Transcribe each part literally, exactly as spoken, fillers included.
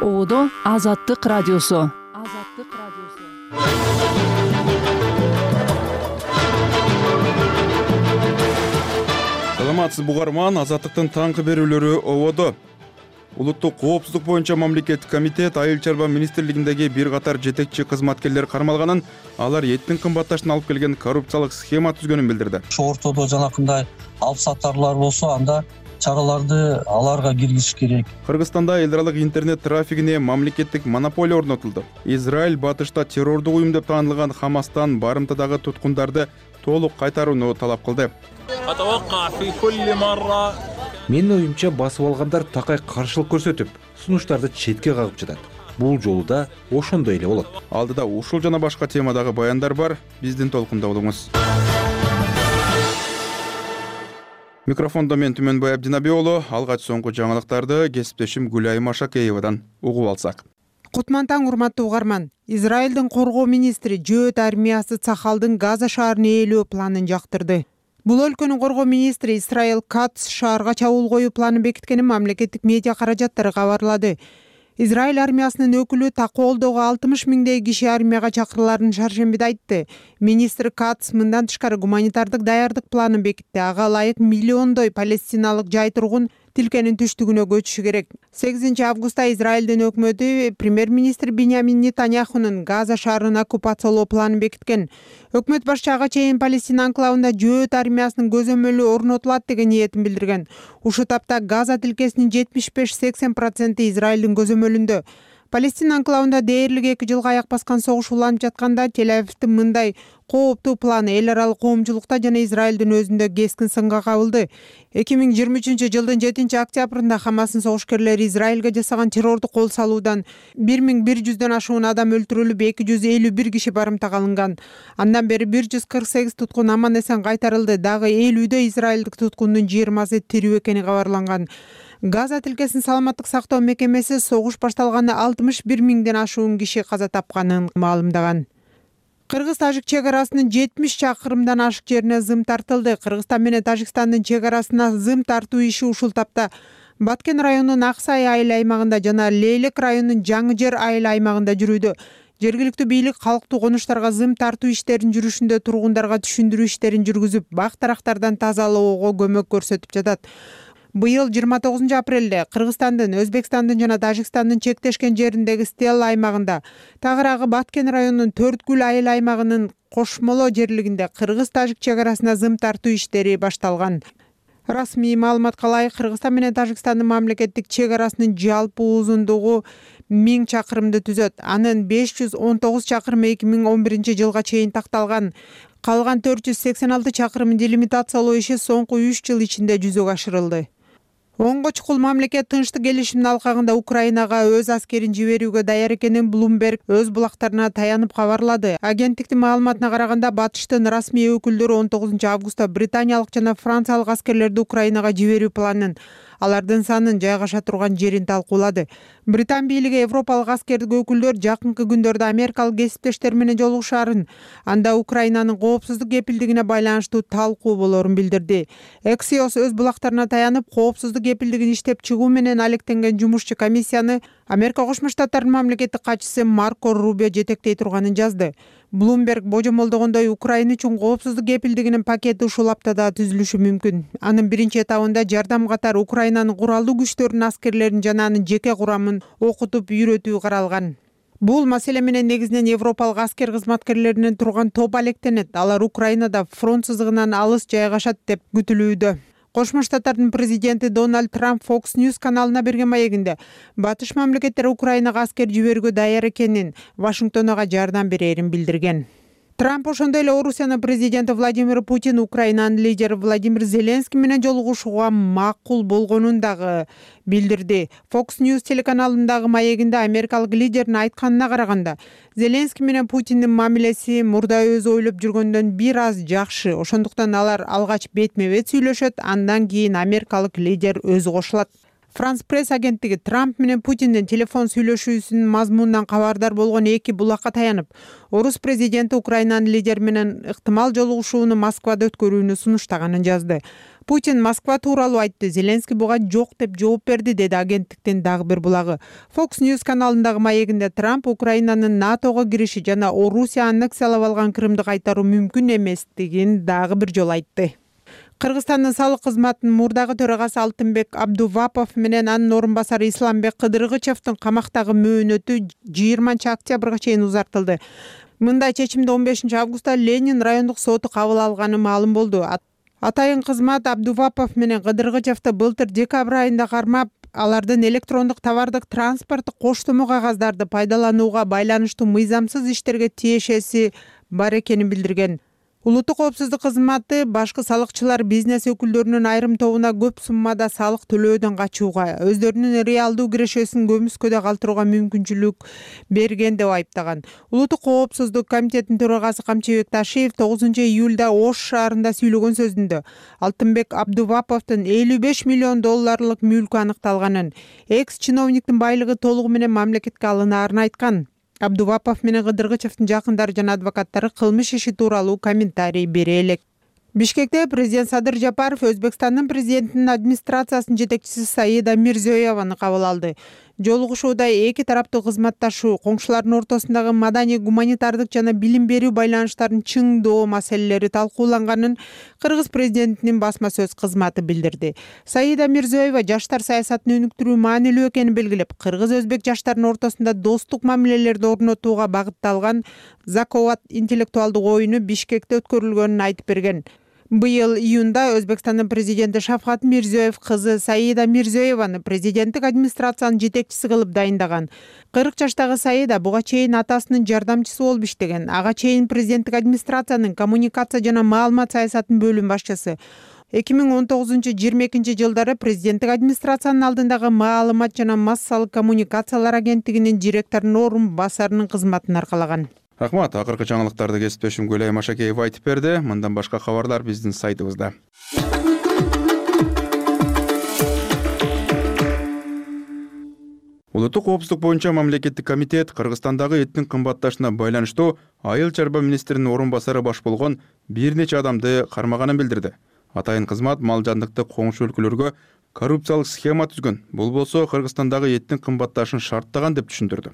Оодо Азаттык радиосу. Азаттык радиосу. Саламатсыз бугарман, Азаттыктын таңкы берүүлөрү ободо. Улуттук коопсуздук боюнча мамлекеттик комитет Айыл чарба министрлигиндеги бир катар жетекчи кызматкерлер кармалганын, алар эттин кымбатташына алып келген коррупциялык схема түзгөнүн билдирди. Ошо ортодо жанакындай алып сатарлар болсо, анда чараларды аларга киргизиш керек. Кыргызстанда эл аралык интернет трафигине мамлекеттик монополия орнотулду. Израиль батышта террордук уюм деп таанылган Хамастан барымтадагы туткундарды толук кайтарууну талап кылды. Менин оюмча басып алгандар такай каршылык көрсөтүп, сунуштарды четке кагып жатат. Бул жолу да ошондой эле болот. Алдыда ушул жана башка темадагы баяндар бар. Биздин толкунда болуңуз. Микрофондо мен Түмөнбай Абдинаби уулу. Алгач соңку жаңылыктарды кесиптешим Гүлайым Ашакеевадан угуп алсак. Кутман таң, урматтуу угарман. Израилдин коргоо министри Жөөт армиясы Цахалдын Газа шаарын ээлөө планын жактырды. Бул өлкөнүн коргоо министри Исраил Катц шаарга чабуул коюу планын бекиткенин мамлекеттик медиа каражаттары кабарлады. Израиль армиясынын өкүлү Таколдогу алтымыш миңдей киши армияга чакырыларын шаршембиде айтты. Министр Катц мындан тышкары гуманитардык даярдык планын бекитти. Ага ылайык миллиондой палестиналык жай тургун тилкенин түштүгүнө көчүшү керек. сегизинчи августта Израилдин өкмөтү премьер-министр Биньямин Нетаньяхунун Газа шаарын оккупациялоо планын бекиткен. Өкмөт башчы ага чейин Палестина анклавында Жөөт армиясынын көзөмөлү орнотулат деген ниетин билдирген. Ушул тапта Газа тилкесинин жетимиш беш сексен проценти Израилдин көзөмөлүндө. Палестина анклавында дээрлик эки жылга аяк баскан согуш уланып жатканда Тель-Авивдин мындай кооптуу планы эл аралык коомчулукта жана Израилдин өзүндө кескин сынга кабылды. эки миң жыйырма үчүнчү жылдын жетинчи октябрында Хамастын согушкерлери Израилге жасаган террордук кол салуудан бир миң бир жүздөн ашуун адам өлтүрүлүп, эки жүз элүү бир киши барымтага алынган. Андан бери бир жүз кырк сегиз туткун аман эсен кайтарылды. Дагы элүүдө израилдик туткундун жыйырмасы тирүү экени кабарланган. Газа тилкесин саламаттык сактоо мекемеси согуш башталганда алтымыш бир миңден ашуун киши каза тапканын маалымдаган. Кыргыз-Тажик чек арасынын жетимиш чакырымдан ашык жерине зым тартылды. Кыргызстан менен Тажикстандын чек арасына зым тартуу иши ушул тапта Баткен районунун Аксай айыл аймагында жана Лейлек районунун Жаңы жер айыл аймагында жүрүүдө. Жергиликтүү бийлик калктуу конуштарга зым тартуу иштерин жүрүшүндө тургундарга түшүндүрүү иштерин жүргүзүп, бак-дарактардан тазалоого көмөк көрсөтүп жатат. Быйыл жыйырма тогузунчу апрелде Кыргызстандын, Өзбекстандын жана Тажикстандын чектешкен жериндеги Стелла аймагында, тагыраагы Баткен районунун Төрткүл айыл аймагынын Кошмоло жерлигинде Кыргыз-Тажик чек арасына зым тартуу иштери башталган. Расмий маалыматка ылайык, Кыргызстан менен Тажикстандын мамлекеттик чек арасынын жалпы узундугу миң чакырымды түзөт. Анын беш жүз он тогуз чакырымы эки миң он биринчи жылга чейин такталган. Калган төрт жүз сексен алты чакырымын делимитациялоо иши соңку үч жыл ичинде жүзөгө ашырылды. Оңго чукул мамлекет тынчтык келишиминин алкагында Украинага өз аскерин жиберүүгө даяр экенин Bloomberg өз булактарына таянып кабарлады. Агенттиктин маалыматына караганда, батыштын расмий өкүлдөрү он тогузунчу августта британиялык жана франциялык аскерлерди Украинага жиберүү планын, алардын санын, жайгаша турган жерин талкуулады. Британ бийлиги европалык аскердик өкүлдөр жакынкы күндөрдө америкалык кесиптештери менен жолугушаарын, анда Украинанын коопсуздук кепилдигине байланыштуу талкуу болорун билдирди. Axios өз булактарына таянып, коопсуздук кепилдигин иштеп чыгуу менен алектенген жумушчу комиссияны Америка Кошмо Штаттарынын мамлекеттик катчысы Марко Рубио жетектей турганын жазды. Bloomberg божомолдогондой, Украина үчүн коопсуздук кепилдигинин пакети ушул аптада түзүлүшү мүмкүн. Анын биринчи этабында жардам катары Украинанын куралдуу күчтөрүнүн аскерлерин жана анын жеке курамын окутуп үйрөтүү каралган. Бул маселе менен негизинен европалык аскер кызматкерлеринен турган топ алектенет. Алар Украинада фронт сызыгынан алыс жайгашат деп күтүлүүдө. Кошмо Штаттардын президенти Дональд Трамп Fox News каналына берген маегинде батыш мамлекеттер Украинага аскер жиберүүгө даяр экенин, Вашингтон ага жардам берерин билдирген. Трамп ошондой эле Орусиянын президенти Владимир Путин Украинанын лидери Владимир Зеленский менен жолугушууга макул болгонун дагы билдирди. Fox News телеканалындагы маегинде америкалык лидердин айтканына караганда, Зеленский менен Путиндин мамилеси мурда өзү ойлоп жүргөндөн бир аз жакшы. Ошондуктан алар алгач бетме-бет сүйлөшөт, андан кийин америкалык лидер өзү кошулат. Франс пресс агенттиги Трамп менен Путиндин телефон сүйлөшүүсүнүн мазмунунан кабардар болгон эки булакка таянып, Орус президенти Украинанын лидери менен ыктымал жолугушууну Москвада өткөрүүнү сунуштаганын жазды. Путин Москва тууралуу айтты, Зеленский буга жок деп жооп берди, деди агенттиктин дагы бир булагы. Fox News каналындагы маегинде Трамп Украинанын НАТОго кириши жана Орусия аннексиялап алган Крымды кайтаруу мүмкүн эместигин дагы бир жолу айтты. Кыргызстандын салык кызматынын мурдагы төрагасы Алтынбек Абдувапов менен анын орун басары Исламбек Кыдыргычевдин камактагы мөөнөтү жыйырманчы октябрга чейин узартылды. Мындай чечимди он бешинчи августта Ленин райондук соту кабыл алганы маалым болду. Атайын кызмат Абдувапов менен Кыдыргычевди былтыр декабрь айында кармап, алардын электрондук товардык транспорттук коштомо кагаздарды пайдаланууга байланыштуу мыйзамсыз иштерге тиешеси бар экенин билдирген. Улуттук коопсуздук кызматы башкы салыкчылар бизнес өкүлдөрүнүн айрым тобуна көп суммада салык төлөөдөн качууга, өздөрүнүн реалдуу кирешесин көмүскөдө калтырууга мүмкүнчүлүк берген деп айыптаган. Улуттук коопсуздук комитетинин төрагасы Камчыбек Ташиев тогузунчу июлда Ош шаарында сүйлөгөн сөзүндө Алтынбек Абдуваповдун элүү беш миллион долларлык мүлкү аныкталганын, экс-чиновниктин байлыгы толугу менен мамлекетке алынаарын айткан. Абдувапов менен Кыдыргычевдин жакындары жана адвокаттары кылмыш иши тууралуу комментарий бере элек. Бишкекте президент Садыр Жапаров Өзбекстандын президентинин администрациясынын жетекчиси Саида Мирзиёеваны кабыл алды. Жолугушууда эки тараптуу кызматташуу, коңшулардын ортосундагы маданий, гуманитардык жана билим берүү байланыштарын чыңдоо маселелери талкууланганын Кыргыз президентинин басма сөз кызматы билдирди. Саида Мирзиёева жаштар саясатын өнүктүрүү маанилүү экенин белгилеп, кыргыз-өзбек жаштарынын ортосунда достук мамилелерди орнотууга багытталган Закovat интеллектуалдык оюну Бишкекте өткөрүлгөнүн айтып берген. Быйыл июнда Өзбекстандын президенти Шавкат Мирзиёев кызы Саида Мирзиёеваны президенттик администрациянын жетекчиси кылып дайындаган. кырк жаштагы Саида буга чейин атасынын жардамчысы болуп иштеген. Ага чейин президенттик администрациянын коммуникация жана маалымат саясатынын бөлүм башчысы. эки миң он тогузунчу жыйырма экинчи жылдары президенттик администрациянын алдындагы маалымат жана массалык коммуникациялар агенттигинин директорунун орун басарынын кызматын аркалаган. Рахмат, акыркы жаңылыктарды кесиптешим Гүлай Машакеева айтып берди. Мындан башка кабарлар биздин сайтыбызда. Улуттук коопсуздук боюнча мамлекеттик комитет Кыргызстандагы эттин кымбатташына байланыштуу айыл чарба министринин орун басары баш болгон бир нече адамды кармаганын билдирди. Атайын кызмат мал жандыкты коңшу өлкөлөргө коррупциялык схема түзгөн. Бул болсо Кыргызстандагы эттин кымбатташын шарттаган деп түшүндүрдү.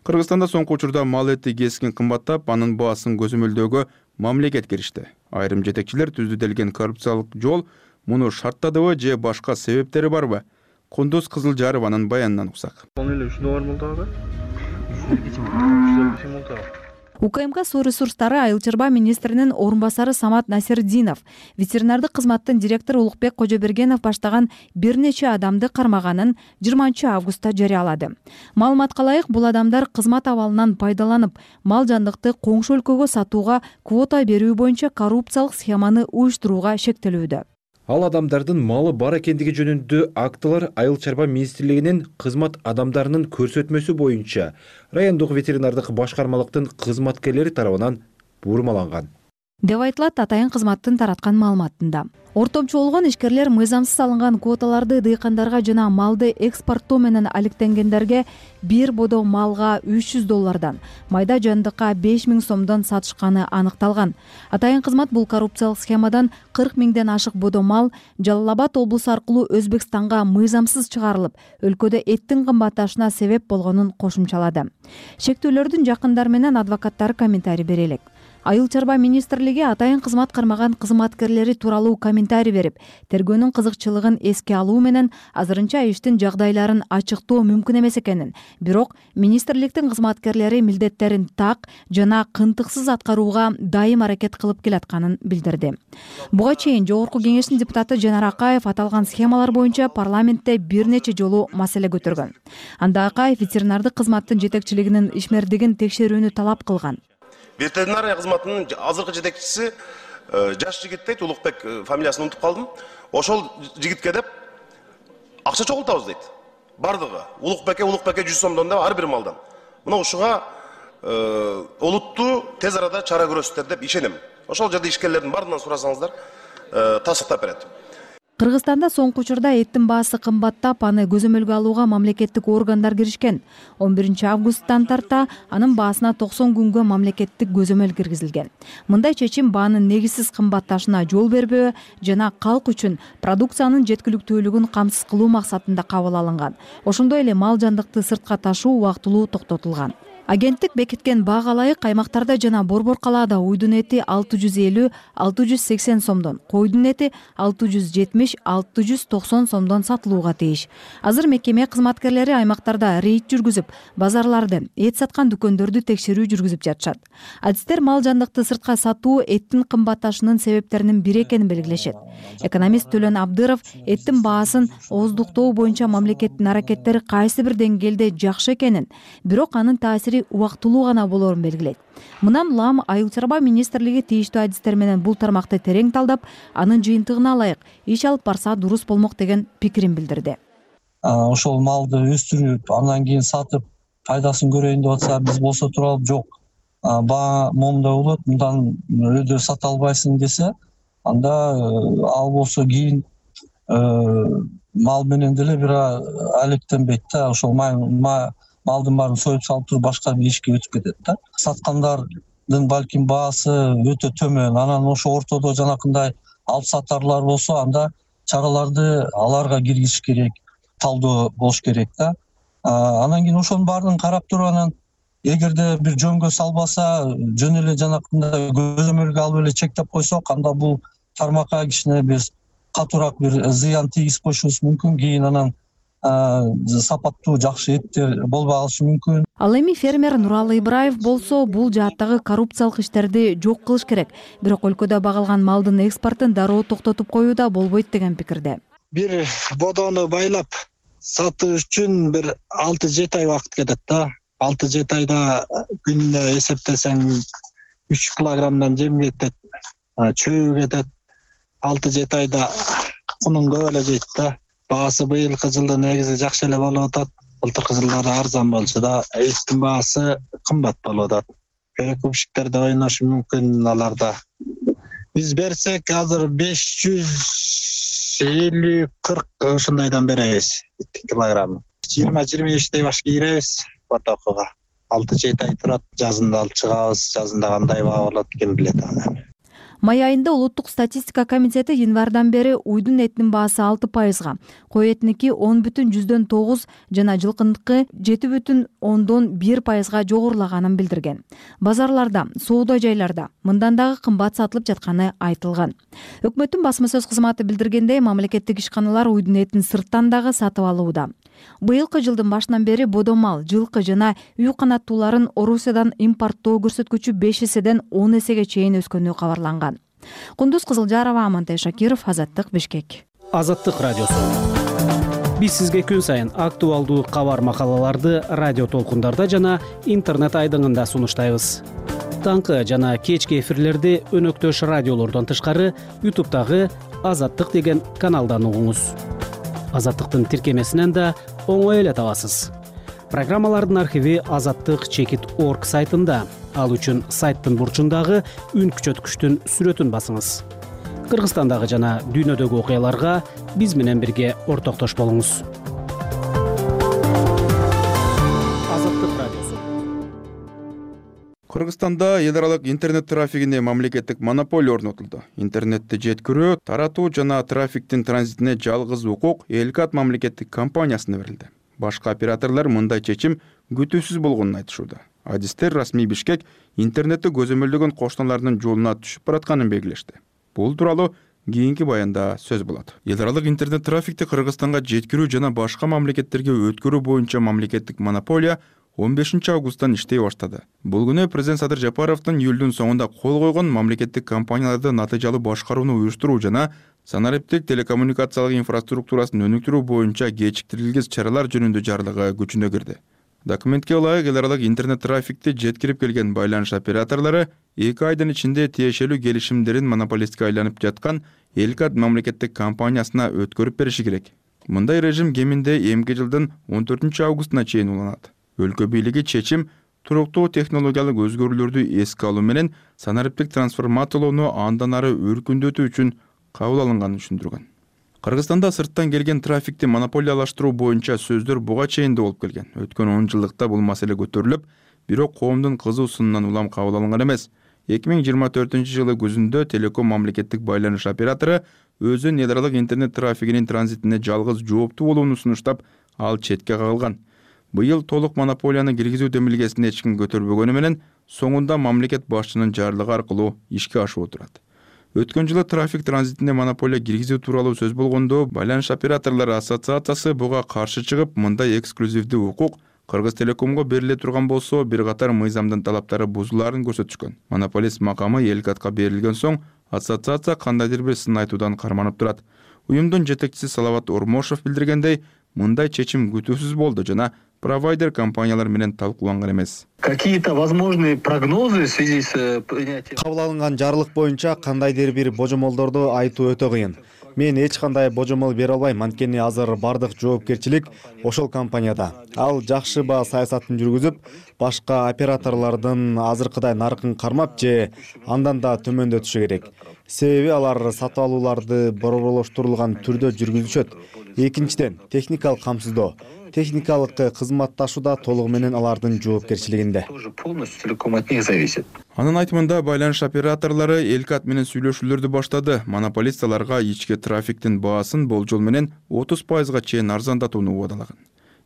Кыргызстанда соңку учурда мал эти кескин кымбаттап, анын баасын көзөмөлдөөгө мамлекет киришти. Айрым жетекчилер түзүлгөн коррупциялык жол муну шарттадыбы же башка себептери барбы? Кундуз Кызылжарованын баянынан уксак. УКМК суу ресурстары айыл чарба министринин орун басары Самат Насирдинов, ветеринардык кызматтын директору Улукбек Кожобергенов баштаган бир нече адамды кармаганын жыйырманчы августта жарыялады. Маалыматка ылайык, бул адамдар кызмат абалынан пайдаланып, мал жандыкты коңшу өлкөгө сатууга квота берүү боюнча коррупциялык схеманы уюштурууга шектелүүдө. Ал адамдардын малы бар экендиги жөнүндө актылар айыл чарба министрлигинин кызмат адамдарынын көрсөтмөсү боюнча райондук ветеринардык башкармалыктын кызматкерлери тарабынан бурмаланган деп айтылат атайын кызматтын тараткан маалыматында. Ортомчу болгон ишкерлер мыйзамсыз алынган квоталарды дыйкандарга жана малды экспорттоо менен алектенгендерге бир бодо малга үч жүз доллардан, майда жандыкка беш миң сомдон сатышканы аныкталган. Атайын кызмат бул коррупциялык схемадан кырк миңден ашык бодо мал Жалал Абад облусу аркылуу Өзбекстанга мыйзамсыз чыгарылып, өлкөдө эттин кымбатташына себеп болгонун кошумчалады. Шектүүлөрдүн жакындары менен адвокаттары комментарий бере элек. Айыл чарба министрлиги атайын кызмат кармаган кызматкерлери тууралуу комментарий берип, тергөөнүн кызыкчылыгын эске алуу менен азырынча иштин жагдайларын ачыктоо мүмкүн эмес экенин, бирок министрликтин кызматкерлери милдеттерин так жана кынтыксыз аткарууга дайым аракет кылып келатканын билдирди. Буга чейин Жогорку кеңештин депутаты Жанар Акаев аталган схемалар боюнча парламентте бир нече жолу маселе көтөргөн. Анда Акаев ветеринардык кызматтын жетекчилигинин ишмердигин текшерүүнү талап кылган. Ветеринария кызматынын азыркы жетекчиси жаш жигит дейт, Улукбек фамилиясын унутуп калдым. Ошол жигитке деп акча чогултабыз дейт. Бардыгы Улукбекке Улукбекке жүз сомдон да ар бир малдан. Мына ушуга олуттуу тез арада чара көрөсүздөр деп ишенем. Ошол жерде ишкерлердин баарынан сурасаңыздар тасыктап берет. Кыргызстанда соңку учурда эттин баасы кымбаттап, аны көзөмөлгө алууга мамлекеттик органдар киришкен. он биринчи августтан тарта анын баасына токсон күнгө мамлекеттик көзөмөл киргизилген. Мындай чечим баанын негизсиз кымбатташына жол бербөө жана калк үчүн продукциянын жеткиликтүүлүгүн камсыз кылуу максатында кабыл алынган. Ошондой эле мал жандыкты сыртка ташуу убактылуу токтотулган. Агенттик бекиткен баага ылайык аймактарда жана Борбор калаада уйдун эти алты жүз элүү — алты жүз сексен сомдон, койдун эти алты жүз жетимиш — алты жүз токсон сомдон сатылууга тийиш. Азыр мекеме кызматкерлери аймактарда рейд жүргүзүп, базарларды, эт саткан дүкөндөрдү текшерүү жүргүзүп жатышат. Адистер мал жандыкты сыртка сатуу эттин кымбатташынын себептеринин бири экенин белгилешет. Экономист Төлөн Абдыров эттин баасын ооздуктоо боюнча мамлекеттин аракеттери кайсы бир деңгээлде жакшы экенин, бирок анын таасири убактылуу гана болоорун белгилейт. Мындан улам Айыл чарба министрлиги тийиштүү адистер менен бул тармакты терең талдап, анын жыйынтыгына ылайык иш алып барса дурус болмок деген пикирин билдирди. Ошол малды өстүрүп, андан кийин сатып, пайдасын көрөйүн деп атса, биз болсо туралып жок. Баа момундай болот, мындан өйдө сата албайсың десе, анда ал болсо кийин мал менен деле бир алектенбейт да, ошол малдын баарын союп салып туруп башка бир ишке өтүп кетет да. Саткандардын балким баасы өтө төмөн, анан ошо ортодо жанакындай алып сатарлар болсо, анда чараларды аларга киргизиш керек, талдоо болуш керек да. Анан кийин ошонун баарын карап туруп, анан эгерде бир жөнгө салбаса, жөн эле жанакындай көзөмөлгө алып эле чектеп койсок, анда бул тармакка кичине биз катуураак бир зыян тийгизип коюшубуз мүмкүн. Кийин анан сапаттуу жакшы эттер болбой калышы мүмкүн. Ал эми фермер Нуралы Ибраев болсо бул жааттагы коррупциялык иштерди жок кылыш керек, бирок өлкөдө багылган малдын экспортун дароо токтотуп коюу да болбойт деген пикирде. Бир бодону байлап сатуу үчүн бир алты жети ай убакыт кетет да. алты жети айда күнүнө эсептесең үч килограммдан жем кетет, чөбү кетет. алты жети айда кунун көп эле жейт да. Баасы быйылкы жылда негизи жакшы эле болуп атат. Былтыркы жылдары арзан болчу да, эттин баасы кымбат болуп атат. Перекупщиктерде ойношу мүмкүн аларда. Биз берсек азыр беш жүз элүү кырк ушундайдан беребиз килограмм. жыйырма жыйырма бештей баш кийиребиз потокуга. алты жети ай турат, жазында алып чыгабыз. Жазында кандай баа болот ким билет аны. Май айында Улуттук статистика комитети январдан бери уйдун этинин баасы алты пайызга, кой этиники он бүтүн жүздөн тогуз жана жылкыныкы жети бүтүн ондон бир пайызга жогорулаганын билдирген. Базарларда, соода жайларда мындан дагы кымбат сатылып жатканы айтылган. Өкмөттүн басма сөз кызматы билдиргендей, мамлекеттик ишканалар уйдун этин сырттан дагы сатып алууда. Быйылкы жылдын башынан бери бодомал, жылкы жана үй канаттууларын Орусиядан импорттоо көрсөткүчү беш эседен он эсеге чейин өскөнү кабарланган. Кундуз Кызылжарова, Амантай Шакиров, Азаттык, Бишкек. Азаттык радиосу. Биз сизге күн сайын актуалдуу кабар макалаларды радио толкундарда жана интернет айдыңында сунуштайбыз. Таңкы жана кечки эфирлерди өнөктөш радиолордон тышкары ютубтагы Азаттык деген каналдан угуңуз. Азаттыктын тиркемесинен да оңой эле табасыз. Программалардын архиви азаттык чекит точка орг сайтында. Ал үчүн сайттын бурчундагы үн күчөткүчтүн сүрөтүн басыңыз. Кыргызстандагы жана дүйнөдөгү окуяларга биз менен бирге ортоктош болуңуз. Азаттык радиосу. Кыргызстанда эл аралык интернет трафигине мамлекеттик монополия орнотулду. Интернетти жеткирүү, таратуу жана трафиктин транзитине жалгыз укук Элкат мамлекеттик компаниясына берилди. Башка операторлор мындай чечим күтүүсүз болгонун айтышууда. Адистер расмий Бишкек интернетти көзөмөлдөгөн кошуналардын жолуна түшүп баратканын белгилешти. Бул тууралуу кийинки баянда сөз болот. Эл аралык интернет трафикти Кыргызстанга жеткирүү жана башка мамлекеттерге өткөрүү боюнча мамлекеттик монополия он бешинчи августтан иштей баштады. Бул күнү президент Садыр Жапаровдун июлдун соңунда кол койгон мамлекеттик компанияларды натыйжалуу башкарууну уюштуруу жана санариптик телекоммуникациялык инфраструктурасын өнүктүрүү боюнча кечиктирилгис чаралар жөнүндө жарлыгы күчүнө кирди. Документке ылайык, эл аралык интернет трафикти жеткирип келген байланыш операторлору эки айдын ичинде тиешелүү келишимдерин монополистке айланып жаткан Элкат мамлекеттик компаниясына өткөрүп бериши керек. Мындай режим кеминде эмки жылдын он төртүнчү августуна чейин уланат. Өлкө бийлиги чечим туруктуу технологиялык өзгөрүүлөрдү эске алуу менен санариптик трансформациялоону андан ары өркүндөтүү үчүн кабыл алынганын түшүндүргөн. Кыргызстанда сырттан келген трафикти монополиялаштыруу боюнча сөздөр буга чейин да болуп келген. Өткөн он жылдыкта бул маселе көтөрүлүп, бирок коомдун кызуу сынынан улам кабыл алынган эмес. эки миң жыйырма төртүнчү жылы күзүндө Телеком мамлекеттик байланыш оператору өзүнүн эл аралык интернет трафигинин транзитине жалгыз жооптуу болууну сунуштап, ал четке кагылган. Быйыл толук монополияны киргизүү демилгесин эч ким көтөрбөгөнү менен соңунда мамлекет башчынын жарлыгы аркылуу ишке ашып отурат. Өткөн жылы трафик транзитине монополия киргизүү тууралуу сөз болгондо, Байланыш операторлору ассоциациясы буга каршы чыгып, мындай эксклюзивдүү укук Кыргыз Телекомго бериле турган болсо, бир катар мыйзамдын талаптары бузулаарын көрсөтүшкөн. Монополист макамы Элкатка берилген соң, ассоциация кандайдыр бир сын айтуудан карманып турат. Уюмдун жетекчиси Салават Ормошов билдиргендей, мындай чечим күтүүсүз болду жана провайдер компаниялар менен талкууланган эмес. Какие-то возможные прогнозы в связи с принятием кабыл алынган жарлык боюнча кандайдыр бир божомолдорду айтуу өтө кыйын. Мен эч кандай божомол бере албайм, анткени азыр бардык жоопкерчилик ошол компанияда. Ал жакшы баа саясатын жүргүзүп, башка операторлордун азыркыдай наркын кармап же андан да төмөндөтүшү керек. Себеби алар сатып алууларды борборлоштурулган түрдө жүргүзүшөт. Экинчиден, техникалык камсыздоо. Техникалык кызматташууда толугу менен алардын жоопкерчилигинде. Анын айтымында байланыш операторлору Элкат менен сүйлөшүүлөрдү баштады. Монополист аларга ички трафиктин баасын болжол менен отуз пайызга чейин арзандатууну убадалаган.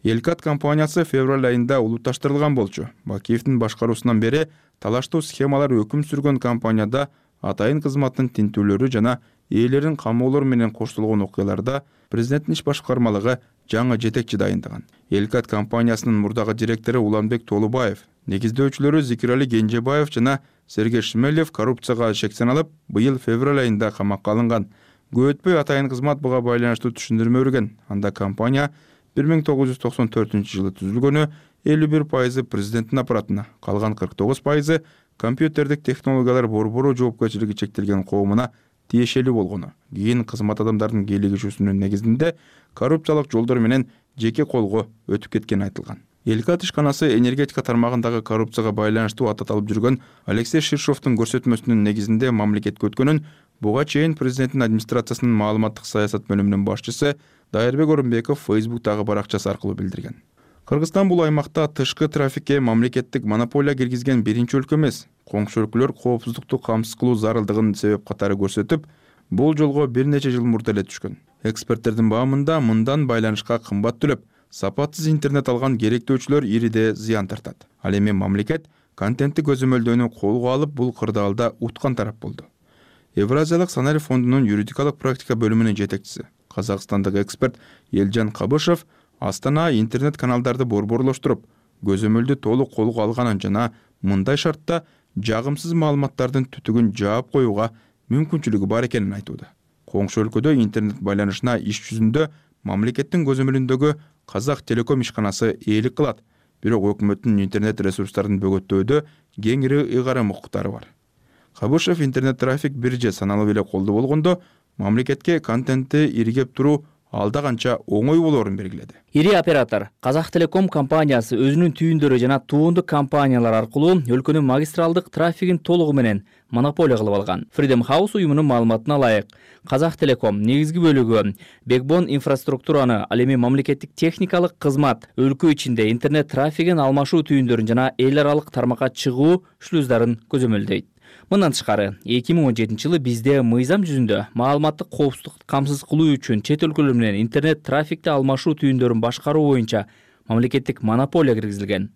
Элкат компаниясы февраль айында улутташтырылган болчу. Бакиевдин башкаруусунан бери талаштуу схемалар өкүм сүргөн компанияда атайын кызматтын тинтүүлөрү жана ээлерин камоолор менен коштолгон окуяларда президенттин иш башкармалыгы жаңы жетекчи дайындаган. Элкат компаниясынын мурдагы директору Уланбек Толубаев, негиздөөчүлөрү Зикирали Кенжебаев жана Сергей Шмелев коррупцияга шектеналып, быйыл февраль айында камакка алынган. Көп өтпөй атайын кызмат буга байланыштуу түшүндүрмө берген. Анда компания бир миң тогуз жүз токсон төртүнчү жылы түзүлгөнү, элүү бир пайызы президенттин аппаратына, калган кырк тогуз пайызы компьютердик технологиялар борбору жоопкерчилиги чектелген коомуна тиешелүү болгону. Кийин кызмат адамдардын кийлигишүүсүнүн негизинде коррупциялык жолдор менен жеке колго өтүп кеткени айтылган. Элкат ишканасы энергетика тармагындагы коррупцияга байланыштуу аттатылып жүргөн Алексей Ширшовдун көрсөтмөсүнүн негизинде мамлекетке өткөнүн буга чейин президенттин администрациясынын маалыматтык саясат бөлүмүнүн башчысы Дайырбек Орунбеков Фейсбуктагы баракчасы аркылуу билдирген. Кыргызстан бул аймакта тышкы трафикке мамлекеттик монополия киргизген биринчи өлкө эмес. Коңшу өлкөлөр коопсуздукту камсыз кылуу зарылдыгын себеп катары көрсөтүп, бул жолго бир нече жыл мурда эле түшкөн. Эксперттердин баамында мындан байланышка кымбат төлөп, сапатсыз интернет алган керектөөчүлөр ириде зыян тартат. Ал эми мамлекет контентти көзөмөлдөөнү колго алып, бул кырдаалда уткан тарап болду. Евразиялык сценарий фондунун юридикалык практика бөлүмүнүн жетекчиси, казакстандык эксперт Элжан Кабышев Астана интернет каналдарды борборлоштуруп, көзөмөлдү толук колго алганын жана мындай шартта жагымсыз маалыматтардын түтүгүн жаап коюуга мүмкүнчүлүгү бар экенин айтууда. Коңшу өлкөдө интернет байланышына иш жүзүндө мамлекеттин көзөмөлүндөгү Казак Телеком ишканасы ээлик кылат, бирок өкмөттүн интернет ресурстарын бөгөттөөдө кеңири ыйгарым укуктары бар. Кабышев интернет трафик бир же саналуу эле колдо болгондо, мамлекетке контентти иргеп туруу алда канча оңой болоорун белгиледи. Ири оператор Казак Телеком компаниясы өзүнүн түйүндөрү жана туундук компаниялар аркылуу өлкөнүн магистралдык трафигин толугу менен монополия кылып алган. Freedom House уюмунун маалыматына ылайык, Казак Телеком негизги бөлүгү бэкбон инфраструктураны, ал эми мамлекеттик техникалык кызмат, өлкө ичинде интернет трафигин алмашуу түйүндөрүн жана эл аралык тармакка чыгуу шлюздарын көзөмөлдөйт. Мындан тышкары, эки миң он жетинчи жылы бизде мыйзам жүзүндө маалыматтык коопсуздукту камсыз кылуу үчүн чет өлкөлөр менен интернет трафикти алмашуу түйүндөрүн башкаруу боюнча мамлекеттик монополия киргизилген.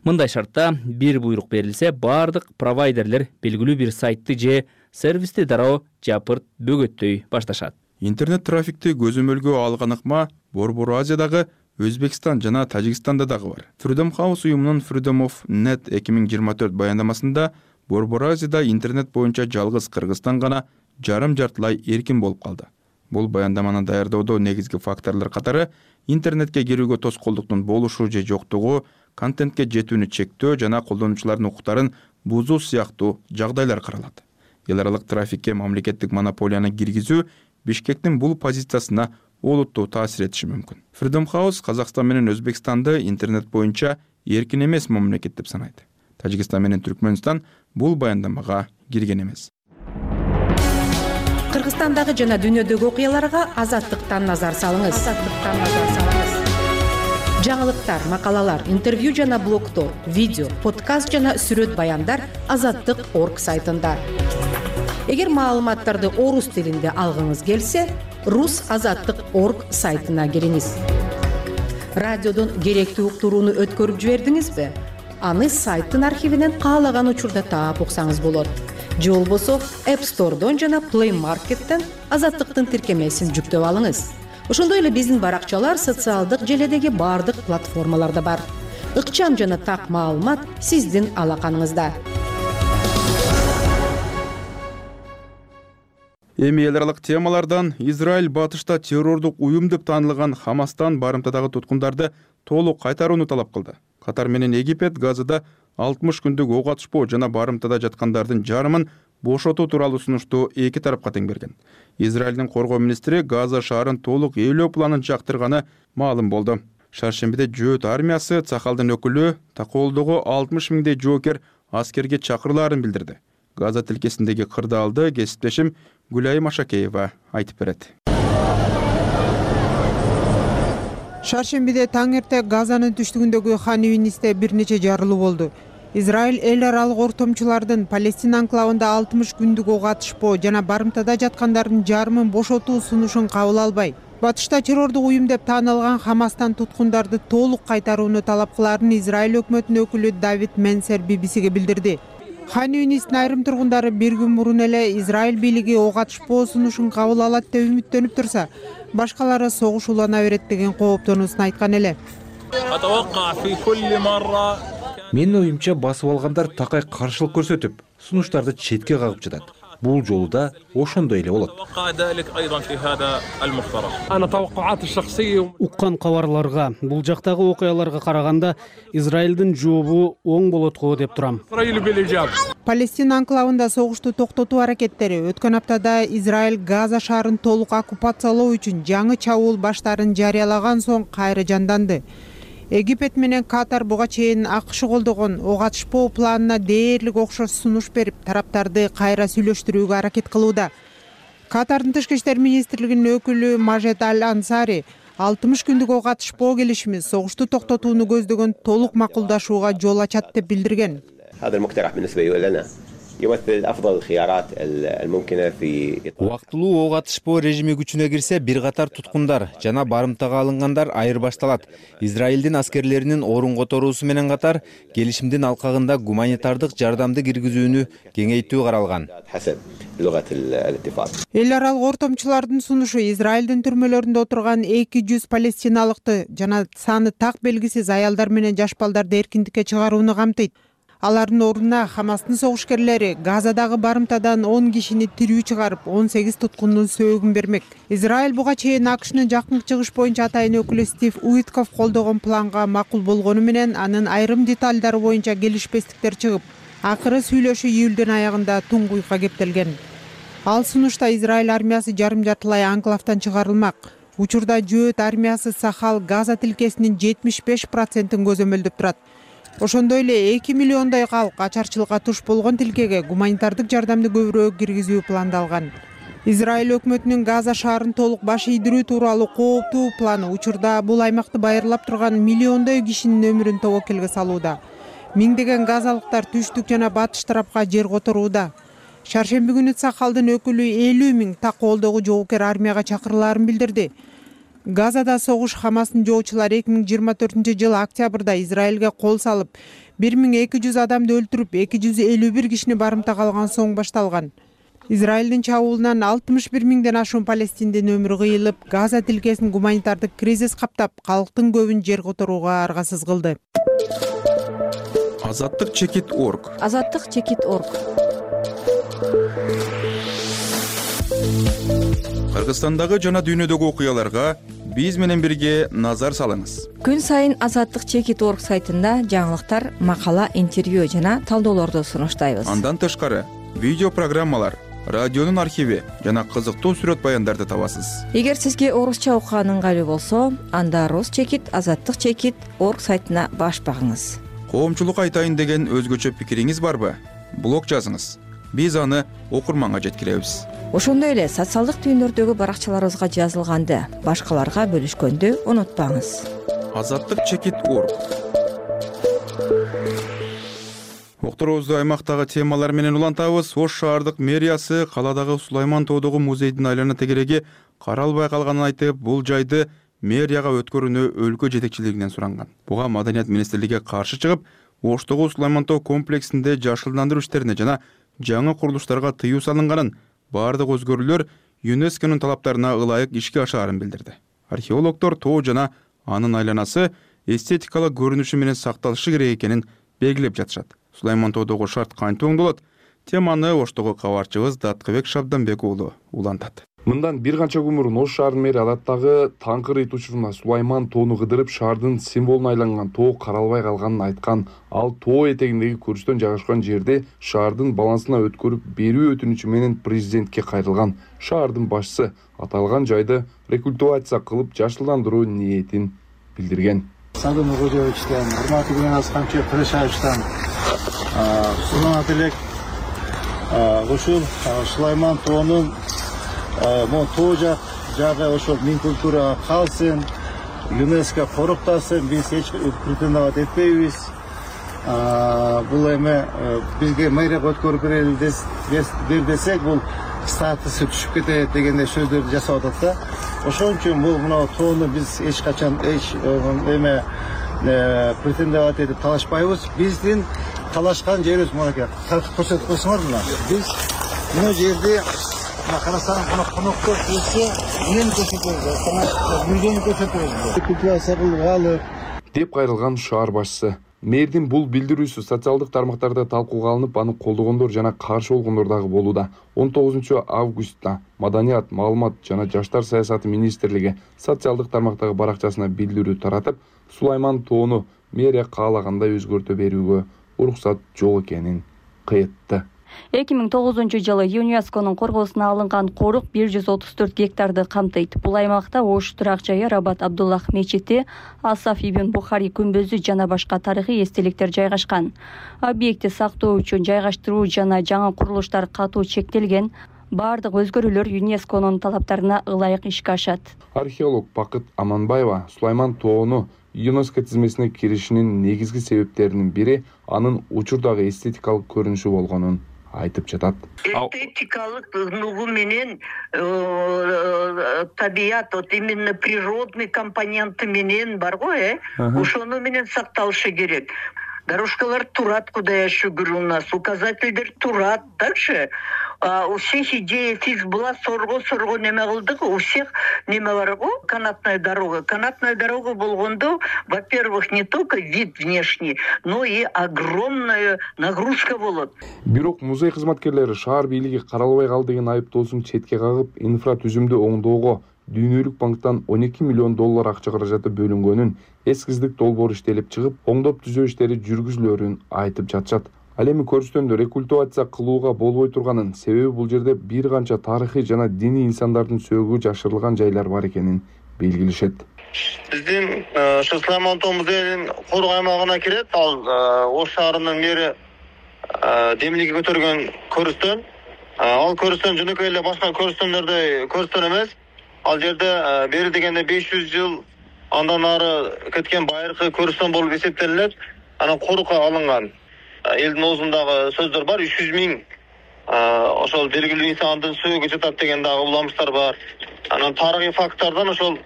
Мындай шартта бир буйрук берилсе, бардык провайдерлер белгилүү бир сайтты же сервисти дароо жапырт бөгөттөй башташат. Интернет трафикти көзөмөлгө алган ыкма Борбор Азиядагы Өзбекстан жана Тажикстанда дагы бар. Freedom House уюмунун Freedom of Net эки миң жыйырма төрт баяндамасында Борбор Азияда интернет боюнча жалгыз Кыргызстан гана жарым жартылай эркин болуп калды. Бул баяндаманы даярдоодо негизги факторлор катары интернетке кирүүгө тоскоолдуктун болушу же жоктугу, контентке жетүүнү чектөө жана колдонуучулардын укуктарын бузуу сыяктуу жагдайлар каралат. Эл аралык трафикке мамлекеттик монополияны киргизүү Бишкектин бул позициясына олуттуу таасир этиши мүмкүн. Freedom House Казакстан менен Өзбекстанды интернет боюнча эркин эмес мамлекет деп санайт. Тажикстан менен Түркмөнстан бул баяндамага кирген эмес. Кыргызстан Кыргызстандагы жана дүйнөдөгү окуяларга Азаттыктан назар салыңыз. Азаттыктан назар салыңыз. Жаңылыктар, макалалар, интервью жана блогдор, видео, подкаст жана сүрөт баяндар азаттык точка орг сайтында. Эгер маалыматтарды орус тилинде алгыңыз келсе, рус азаттык точка орг сайтына кириңиз. Радиодон керектүү уктурууну өткөрүп жибердиңизби? Аны сайттын архивинен каалаган учурда таап уксаңыз болот. Же болбосо App Store'дон жана Play Market'тен азаттыктын тиркемесин жүктөп алыңыз. Ошондой эле биздин баракчалар социалдык желедеги бардык платформаларда бар. Ыкчам жана так маалымат сиздин алаканыңызда. Эми эл аралык темалардан Израиль батышта террордук уюм деп таанылган Хамастан барымтадагы туткундарды толук кайтарууну талап кылды. Катар менен Египет Газада алтымыш күндүк ок атышпоо жана барымтада жаткандардын жарымын бошотуу тууралуу сунушту эки тарапка тең берген. Израилдин коргоо министри Газа шаарын толук ээлөө планын жактырганы маалым болду. Шаршембиде Жөөт армиясы Цахалдын өкүлү Таколдогу алтымыш миңдей жоокер аскерге чакырылаарын билдирди. Газа тилкесиндеги кырдаалды кесиптешим Гүлайым Ашакеева айтып берет. Шаршембиде таң эрте Газанын түштүгүндөгү Хан Юнисте бир нече жарылуу болду. Израиль эл аралык ортомчулардын Палестина анклавында алтымыш күндүк ок атышпоо жана барымтада жаткандардын жарымын бошотуу сунушун кабыл албай, батышта террордук уюм деп таанылган Хамастан туткундарды толук кайтарууну талап кылаарын Израиль өкмөтүнүн өкүлү Давид Менсер би би сиге билдирди. Хан Юнистин айрым тургундары бир күн мурун эле Израиль бийлиги ок атышпоо сунушун кабыл алат деп үмүттөнүп турса, башкалары согуш улана берет деген кооптонуусун айткан эле. Менин оюмча басып алгандар такай каршылык көрсөтүп, сунуштарды четке кагып жатат. Бул жолу да ошондой эле болот. Уккан кабарларга, бул жактагы окуяларга караганда Израилдин жообу оң болот го деп турам. Палестина анклавында согушту токтотуу аракеттери өткөн аптада Израиль Газа шаарын толук оккупациялоо үчүн жаңы чабуул баштарын жарыялаган соң кайра жанданды. Египет менен Катар буга чейин АКШ колдогон ок атышпоо планына дээрлик окшош сунуш берип, тараптарды кайра сүйлөштүрүүгө аракет кылууда. Катардын тышкы иштер министрлигинин өкүлү Мажед Аль-Ансари алтымыш күндүк ок атышпоо келишими согушту токтотууну көздөгөн толук макулдашууга жол ачат деп билдирген. Убактылуу ок атышпоо режими күчүнө кирсе, бир катар туткундар жана барымтага алынгандар айырбашталат. Израилдин аскерлеринин орун которуусу менен катар келишимдин алкагында гуманитардык жардамды киргизүүнү кеңейтүү каралган. Эл аралык ортомчулардын сунушу Израилдин түрмөлөрүндө отурган эки жүз палестиналыкты жана саны так белгисиз аялдар менен жаш балдарды эркиндикке чыгарууну камтыйт. Алардын ордуна Хамастын согушкерлери Газадагы барымтадан он кишини тирүү чыгарып, он сегиз туткундун сөөгүн бермек. Израиль буга чейин АКШнын жакынкы чыгыш боюнча атайын өкүлү Стив Уитков колдогон планга макул болгону менен анын айрым деталдары боюнча келишпестиктер чыгып, акыры сүйлөшүү июлдун аягында туңгуйка кептелген. Ал сунушта Израиль армиясы жарым жартылай анклавдан чыгарылмак. Учурда Жөөт армиясы Сахал Газа тилкесинин жетимиш беш процентин көзөмөлдөп турат. Ошондой эле эки миллиондой калк ачарчылыкка туш болгон тилкеге гуманитардык жардамды көбүрөөк киргизүү пландалган. Израиль өкмөтүнүн Газа шаарын толук баш ийдирүү тууралуу кооптуу планы учурда бул аймакты байырлап турган миллиондой кишинин өмүрүн тобокелге салууда. Миңдеген газалыктар түштүк жана батыш тарапка жер которууда. Шаршемби күнү Сахалдын өкүлү элүү миң Таколдогу жоокер армияга чакырылаарын билдирди. Газада согуш Хамастын жоочулары эки миң жыйырма төртүнчү жылы октябрда Израилге кол салып, бир миң эки жүз адамды өлтүрүп, эки жүз элүү бир кишини барымтага алган соң башталган. Израилдин чабуулунан алтымыш бир миңден ашуун палестиндин өмүрү кыйылып, Газа тилкесин гуманитардык кризис каптап, калктын көбүн жер которууга аргасыз кылды. Азаттык чекит точка орг. Азаттык чекит точка орг. Кыргызстандагы жана дүйнөдөгү окуяларга биз менен бирге назар салыңыз. Күн сайын азаттык чекит точка орг сайтында жаңылыктар, макала, интервью жана талдоолорду сунуштайбыз. Андан тышкары видео программалар, радионун архиви жана кызыктуу сүрөт баяндарды табасыз. Эгер сизге орусча окуган ыңгайлуу болсо, анда Рус чекит азаттык чекит точка орг сайтына баш багыңыз. Коомчулукка айтайын деген өзгөчө пикириңиз барбы? Блог жазыңыз. биз аны окурманга жеткиребиз. Ошондой эле социалдык түйүндөрдөгү баракчаларыбызга жазылганды башкаларга бөлүшкөндү унутпаңыз. Азаттык чекит орг. Окторубузду аймактагы темалар менен улантабыз. Ош шаардык мэриясы каладагы Сулайман тоодогу музейдин айлана тегереги каралбай калганын айтып, бул жайды мэрияга өткөрүүнү өлкө жетекчилигинен суранган. Буга Маданият министрлиги каршы чыгып, Оштогу Сулайман тоо комплексинде жашылдандыруу иштерине жана жаңы курулуштарга тыюу салынганын, бардык өзгөрүүлөр ЮНЕСКОнун талаптарына ылайык ишке ашаарын билдирди. Археологдор тоо жана анын айланасы эстетикалык көрүнүшү менен сакталышы керек экенин белгилеп жатышат. Сулайман тоодогу шарт кантип оңдолот? Теманы Оштогу кабарчыбыз Даткыбек Шабданбек уулу улантат. Мындан бир канча күн мурун Ош шаарынын мэри адаттагы таңкы рейд учуруна Сулайман тоону кыдырып шаардын символуна айланган тоо каралбай калганын айткан. Ал тоо этегиндеги көрүстөн жайгашкан жерде шаардын балансына өткөрүп берүү өтүнүчү менен президентке кайрылган. Шаардын башчысы аталган жайды рекультивация кылып жашылдандыруу ниетин билдирген. Садым Угодевичтен, урматтуу Геннадий Камчы Кырышаевичтен сунат элек ушул Сулайман тоонун могу тоо жак жагы ошол мин культурага калсын, ЮНЕСКО короктосын, биз эч претендовать этпейбиз. Бул эме бизге мэрияга өткөрүп берели дер десек, бул статусу түшүп кетет дегендей сөздөрдү жасап атат да. Ошон үчүн бул мына тоону биз эч качан эч эме претендовать этип талашпайбыз. Биздин талашкан жерибиз мынакей. Көрсөтүп койсоңор мына. Биз мына жерде карасаң мына коноктор келсе, эмне көрсөтөбүз? Мүргөнү көрсөтөбүз. Культивация кылып алып деп кайрылган шаар башчысы. Мэрдин бул билдирүүсү социалдык тармактарда талкууга алынып, аны колдогондор жана каршы болгондор дагы болууда. он тогузунчу августта Маданият, маалымат жана жаштар саясаты министрлиги социалдык тармактагы баракчасына билдирүү таратып, Сулайман тоону мэрия каалагандай өзгөртө берүүгө уруксат жок экенин кыйтты. эки миң тогузунчу жылы ЮНЕСКонун коргоосуна алынган корук бир жүз отуз төрт гектарды камтыйт. Бул аймакта Ош турак жайы, Рабат Абдуллах мечити, Асаф ибн Бухари күмбөзү жана башка тарыхый эстеликтер жайгашкан. Объектти сактоо үчүн жайгаштыруу жана жаңы курулуштар катуу чектелген. Бардык өзгөрүүлөр ЮНЕСКонун талаптарына ылайык ишке ашат. Археолог Бакыт Аманбаева Сулайман тоону ЮНЕСКО тизмесине киришинин негизги себептеринин бири анын учурдагы эстетикалык көрүнүшү болгонун айтып жатат. Эстетикалык нугу менен табият, вот именно природный компоненты менен бар го, э? Ошону менен сакталышы керек. Дорожкалар турат, куда я говорю, у нас указательдер турат. Дальше а, у всех идея фикс была сорго-сорго неме кылдык, у всех неме бар го, канатная дорога. Канатная дорога болгондо, во-первых, не только вид внешний, но и огромная нагрузка болот. Бирок музей кызматкерлери шаар бийлиги каралбай калды деген айыптоосун четке кагып, инфратүзүмдү оңдоого Дүйнөлүк банктан он эки миллион доллар акча каражаты бөлүнгөнүн, эскиздик долбоор иштелип чыгып, оңдоп түзөө иштери жүргүзүлөрүн айтып жатышат. Ал эми көрүстөндө рекультивация кылууга болбой турганын, себеби бул жерде бир канча тарыхый жана диний инсандардын сөөгү жашырылган жайлар бар экенин белгилешет. Биздин ошо Сулайман тоо музейинин кору аймагына кирет. Ал Ош шаарынын мэри демилиги көтөргөн көрүстөн. Ал көрүстөн жөнөкөй эле башка көрүстөндөрдөй көрүстөн эмес. Ал жерде бери дегенде беш жүз жыл андан ары кеткен байыркы көрүстөн болуп эсептелинет. Анан корукка алынган элдин оозундагы сөздөр бар. үч жүз миң ошол белгилүү инсандын сөөгү жатат деген дагы уламыштар бар. Анан тарыхый факттардан ошол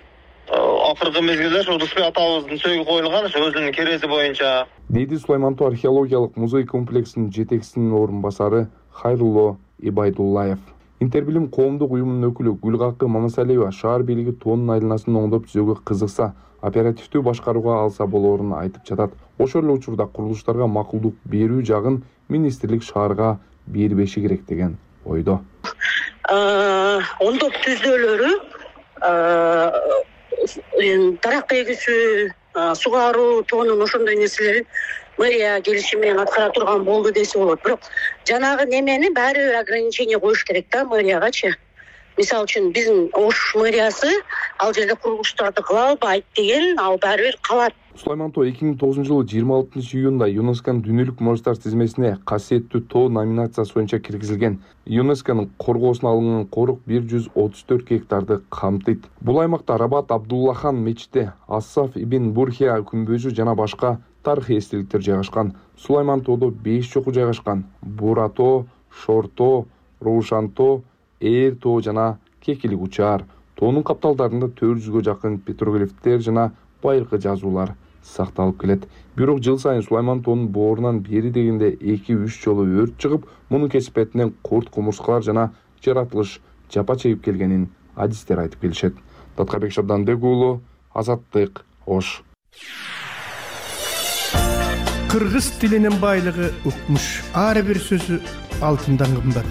акыркы мезгилде ошол Рыспек атабыздын сөөгү коюлган, ошо өзүнүн керези боюнча. Дейди Сулайман тоо археологиялык музей комплексинин жетекчисинин орун басары Хайрулло Ибайдуллаев. Интербилим коомдук уюмунун өкүлү Гүлгакы Мамасалиева шаар бийлиги тоонун айланасын оңдоп түзөөгө кызыкса, оперативдүү башкарууга алса болоорун айтып жатат. Ошол эле учурда курулуштарга макулдук берүү жагын министрлик шаарга бербеши керек деген ойдо. Оңдоп түзөөлөрү, дарак эгүүсү, сугаруу, тоонун ошондой нерселерин мэрия келишими менен аткара турган болду десе болот. Бирок жанагы немени баары бир ограничение коюш керек да мэриягачы. Мисалы үчүн биздин Ош мэриясы ал жерде курулуштарды кыла албайт деген, ал баары бир калат. Сулайман тоо эки миң тогузунчу жылы жыйырма алтынчы июнда ЮНЕСКОнун дүйнөлүк муражаттар тизмесине касиеттүү тоо номинациясы боюнча киргизилген. ЮНЕСКОнун коргоосуна алынган корук бир жүз отуз төрт гектарды камтыйт. Бул аймакта Рабат Абдуллахан мечити, Асаф ибн Бурхия күмбөзү жана башка тарыхый эстеликтер жайгашкан. Сулайман тоодо беш чокуу жайгашкан. Бура тоо, Шор тоо, Рушан тоо, Ээр тоо жана Кекилик учаар. Тоонун капталдарында төрт жүзгө жакын петроглифтер жана байыркы жазуулар сакталып келет. Бирок жыл сайын Сулайман тоонун боорунан бери дегенде эки үч жолу өрт чыгып, мунун кесипетинен курт кумурскалар жана жаратылыш жапа чегип келгенин адистер айтып келишет. Таткабек Шабданбек уулу, Азаттык, Ош. Кыргыз тилинин байлыгы укмуш. Ар бир сөзү алтындан кымбат.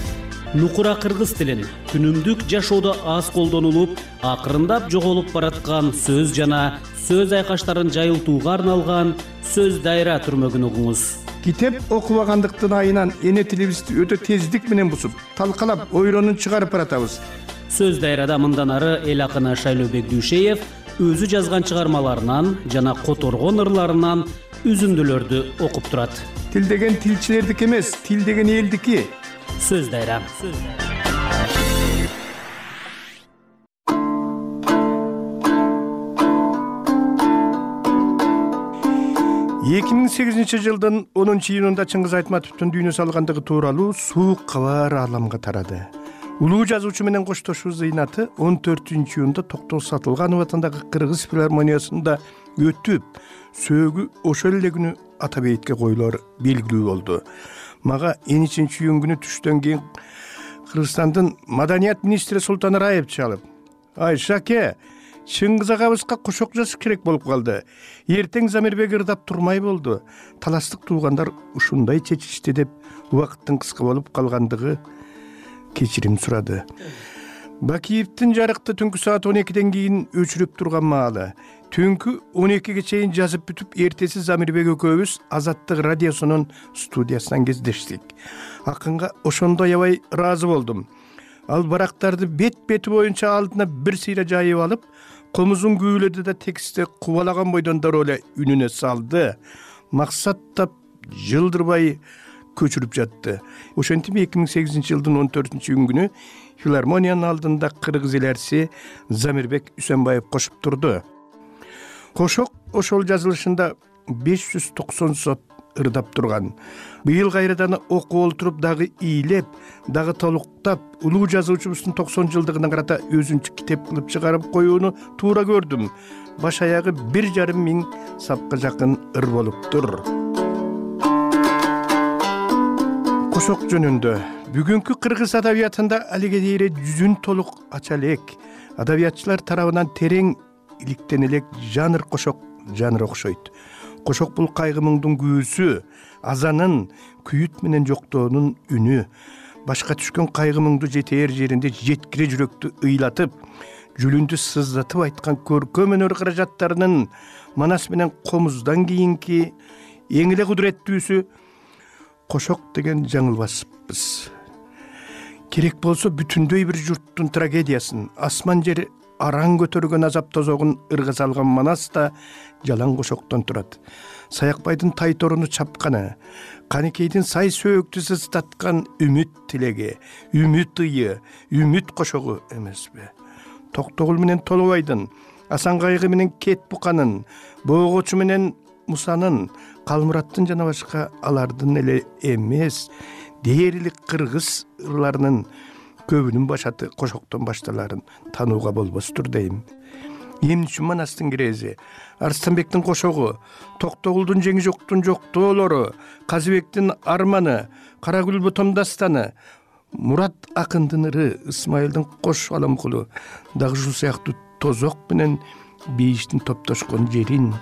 Нукура кыргыз тилин күнүмдүк жашоодо аз колдонулуп, акырындап жоголуп бараткан сөз жана сөз айкаштарын жайылтууга арналган сөз дайра түрмөгүн угуңуз. Китеп окубагандыктын айынан эне тилибизди өтө тездик менен бусуп, талкалап, ойронун чыгарып баратабыз. Сөз дайрада мындан ары эл акыны Шайлообек Дүйшеев өзү жазган чыгармаларынан жана которгон ырларынан үзүндүлөрдү окуп турат. Тил деген тилчилердики эмес, тил деген элдики. Сөз дайра. эки миң сегизинчи жылдын онунчу июнунда Чыңгыз Айтматовдун дүйнө салгандыгы тууралуу суук кабар ааламга тарады. Улуу жазуучу менен коштошуу зыйнаты он төртүнчү июнда Токтоо Сатылганов атындагы Кыргыз филармониясында өтүп, сөөгү ошол эле күнү Атабейитке коюлор белгилүү болду. Мага он үчүнчү июнь күнү түштөн кийин Кыргызстандын маданият министри Султан Раев чалып: "Ай Шаке, Чыңгыз агабызга кошок жазыш керек болуп калды. Эртең Замирбек ырдап турмай болду. Таластык туугандар ушундай чечишти" деп убакыттын кыска болуп калгандыгы кечирим сурады. Бакиевдин жарыкты түнкү саат он экиден кийин өчүрүп турган маалы. Түнкү он экиге чейин жазып бүтүп, эртеси Замирбек экөөбүз Азаттык радиосунун студиясынан кездештик. Акынга ошондо аябай ыраазы болдум. Ал барактарды бет-бети боюнча алдына бир сыйра жайып алып, комузун күүлөдү да текстти кубалаган бойдон дароо эле үнүнө салды. Максат тап жылдырбай көчүрүп жатты. Ошентип эки миң сегизинчи жылдын он төртүнчү июнь күнү филармониянын алдында кыргыз элерси Замирбек Үсөнбаев кошуп турду. Кошок ошол жазылышында беш жүз токсон сот ырдап турган. Быйыл кайрадан окуп олтуруп дагы ийлеп, дагы толуктап, улуу жазуучубуздун токсон жылдыгына карата өзүнчө китеп кылып чыгарып коюуну туура көрдүм. Баш аягы бир жарым миң сапка жакын ыр болуптур. Кошок жөнүндө бүгүнкү кыргыз адабиятында алиге дейре жүзүн толук ача элек. Адабиятчылар тарабынан терең иликтен элек жанр кошок жанр окшойт. Кошок бул кайгы муңдун күүсү, азанын, күйүт менен жоктоонун үнү. Башка түшкөн кайгы муңду жетээр жеринде жеткире жүрөктү ыйлатып, жүлүндү сыздатып айткан көркөм өнөр каражаттарынын Манас менен Комуздан кийинки эң эле кудуреттүүсү кошок деген жаңылбаспыз. Керек болсо бүтүндөй бир журттун трагедиясын, асман жери араң көтөргөн азап тозогун ырга салган Манас да жалаң кошоктон турат. Саякбайдын тай торуну чапканы, Каникейдин сай сөөктү сыздаткан үмүт тилеги, үмүт ыйы, үмүт кошогу эмеспи. Токтогул менен Толобайдын, Асан Кайгы менен Кет Буканын, Боогочу менен Мусанын, Калмураттын жана башка алардын эле эмес, дээрлик кыргыз ырларынын көбүнүн башаты кошоктон башталарын танууга болбостур дейм. Эмне үчүн Манастын кирези, Арстанбектин кошогу, Токтогулдун жеңи жоктун жоктоолору, Казыбектин арманы, Карагүл Ботом дастаны, Мурат акындын ыры, Ысмайылдын кош аламкулу, дагы ушул сыяктуу тозок менен бейиштин топтошкон жерин,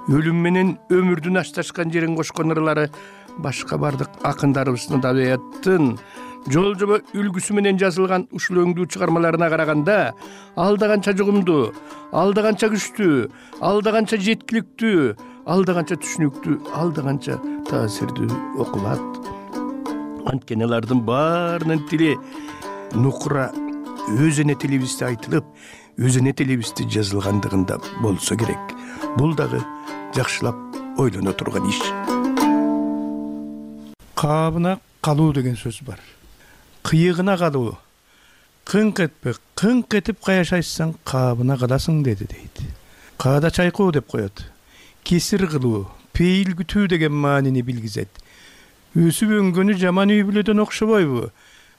өлүм менен өмүрдүн ашташкан жерин кошкон ырлары башка бардык акындарыбыздын адабияттын жол жоба үлгүсү менен жазылган ушул өңдүү чыгармаларына караганда алда канча жугумдуу, алда канча күчтүү, алда канча жеткиликтүү, алда канча түшүнүктүү, алда канча таасирдүү окулат. Анткени алардын баарынын тили нукура өз эне тилибизде айтылып, өз эне тилибизде жазылгандыгында болсо керек. Бул дагы жакшылап ойлоно турган иш. Кабына калуу деген сөз бар. Кыйыгына калуу. Кыңк этпе, кыңк этип каяшайсаң кабына каласың деди дейт. Каада чайкоо деп коет. Кесир кылуу, пейил күтүү деген маанини билгизет. Өсүп өнгөнү жаман үй бүлөдөн окшобойбу?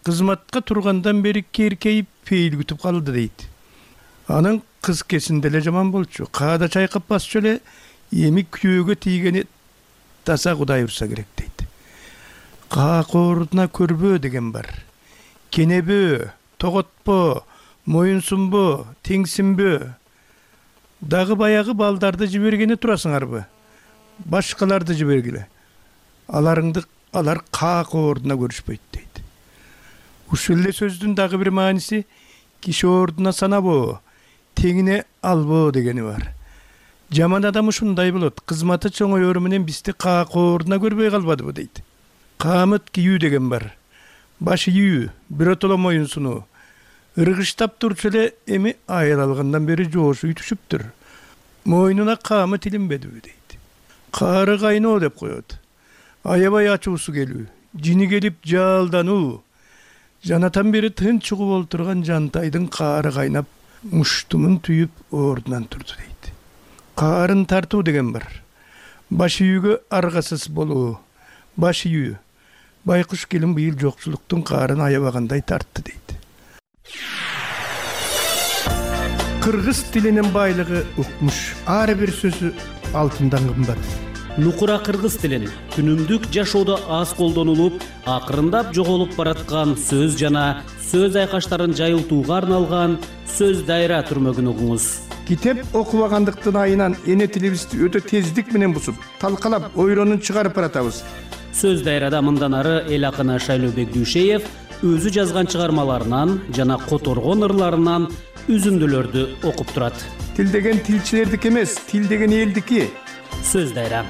Кызматка тургандан бери керкейип пейил күтүп калды дейт. Анын кыз кесинде эле жаман болчу. Каада чайкап басчу эле эми күйөөгө тийгени таза Кудай урса керек дейт. Каакоордуна көрбөө деген бар. Кенебөө, тоготпо, моюнсунбо, теңсинбөө. Дагы баягы балдарды жибергени турасыңарбы? Башкаларды жибергиле. Аларыңды алар каакоордуна көрүшпөйт дейт. Ушул эле сөздүн дагы бир мааниси киши ордуна санабоо, теңине албоо дегени бар. Жаман адам ушундай болот. Кызматы чоңоёру менен бизди каакоордуна көрбөй калбадыбы дейт. Каамыт кийүү деген бар. Баш ийүү, биротоло моюнсунуу. Ыргыштап турчу эле эми айыл алгандан бери жоошу үтүшүптүр. Мойнуна каамыт илинбедиби дейт. Каары кайноо деп коет. Аябай ачуусу келүү, жини келип жаалдануу. Жанатан бери тынч угуп олтурган жантайдын каары кайнап, муштумун түйүп ордунан турду дейт. Каарын тартуу деген бар. Баш ийүүгө аргасыз болуу. Баш ийүү. Байкуш келин быйыл жокчулуктун каарын аябагандай тартты дейт. Кыргыз тилинин байлыгы укмуш. Ар бир сөзү алтындан кымбат. Нукура кыргыз тилин күнүмдүк жашоодо аз колдонулуп, акырындап жоголуп бараткан сөз жана сөз айкаштарын жайылтууга арналган сөз дайра түрмөгүн угуңуз. Китеп окубагандыктын айынан эне тилибизди өтө тездик менен бусуп, талкалап, ойронун чыгарып баратабыз. Сөз дайрада мындан ары эл акыны Шайлообек Дүйшеев өзү жазган чыгармаларынан жана которгон ырларынан үзүндүлөрдү окуп турат. Тил деген тилчилердики эмес, тил деген элдики. Сөз дайра.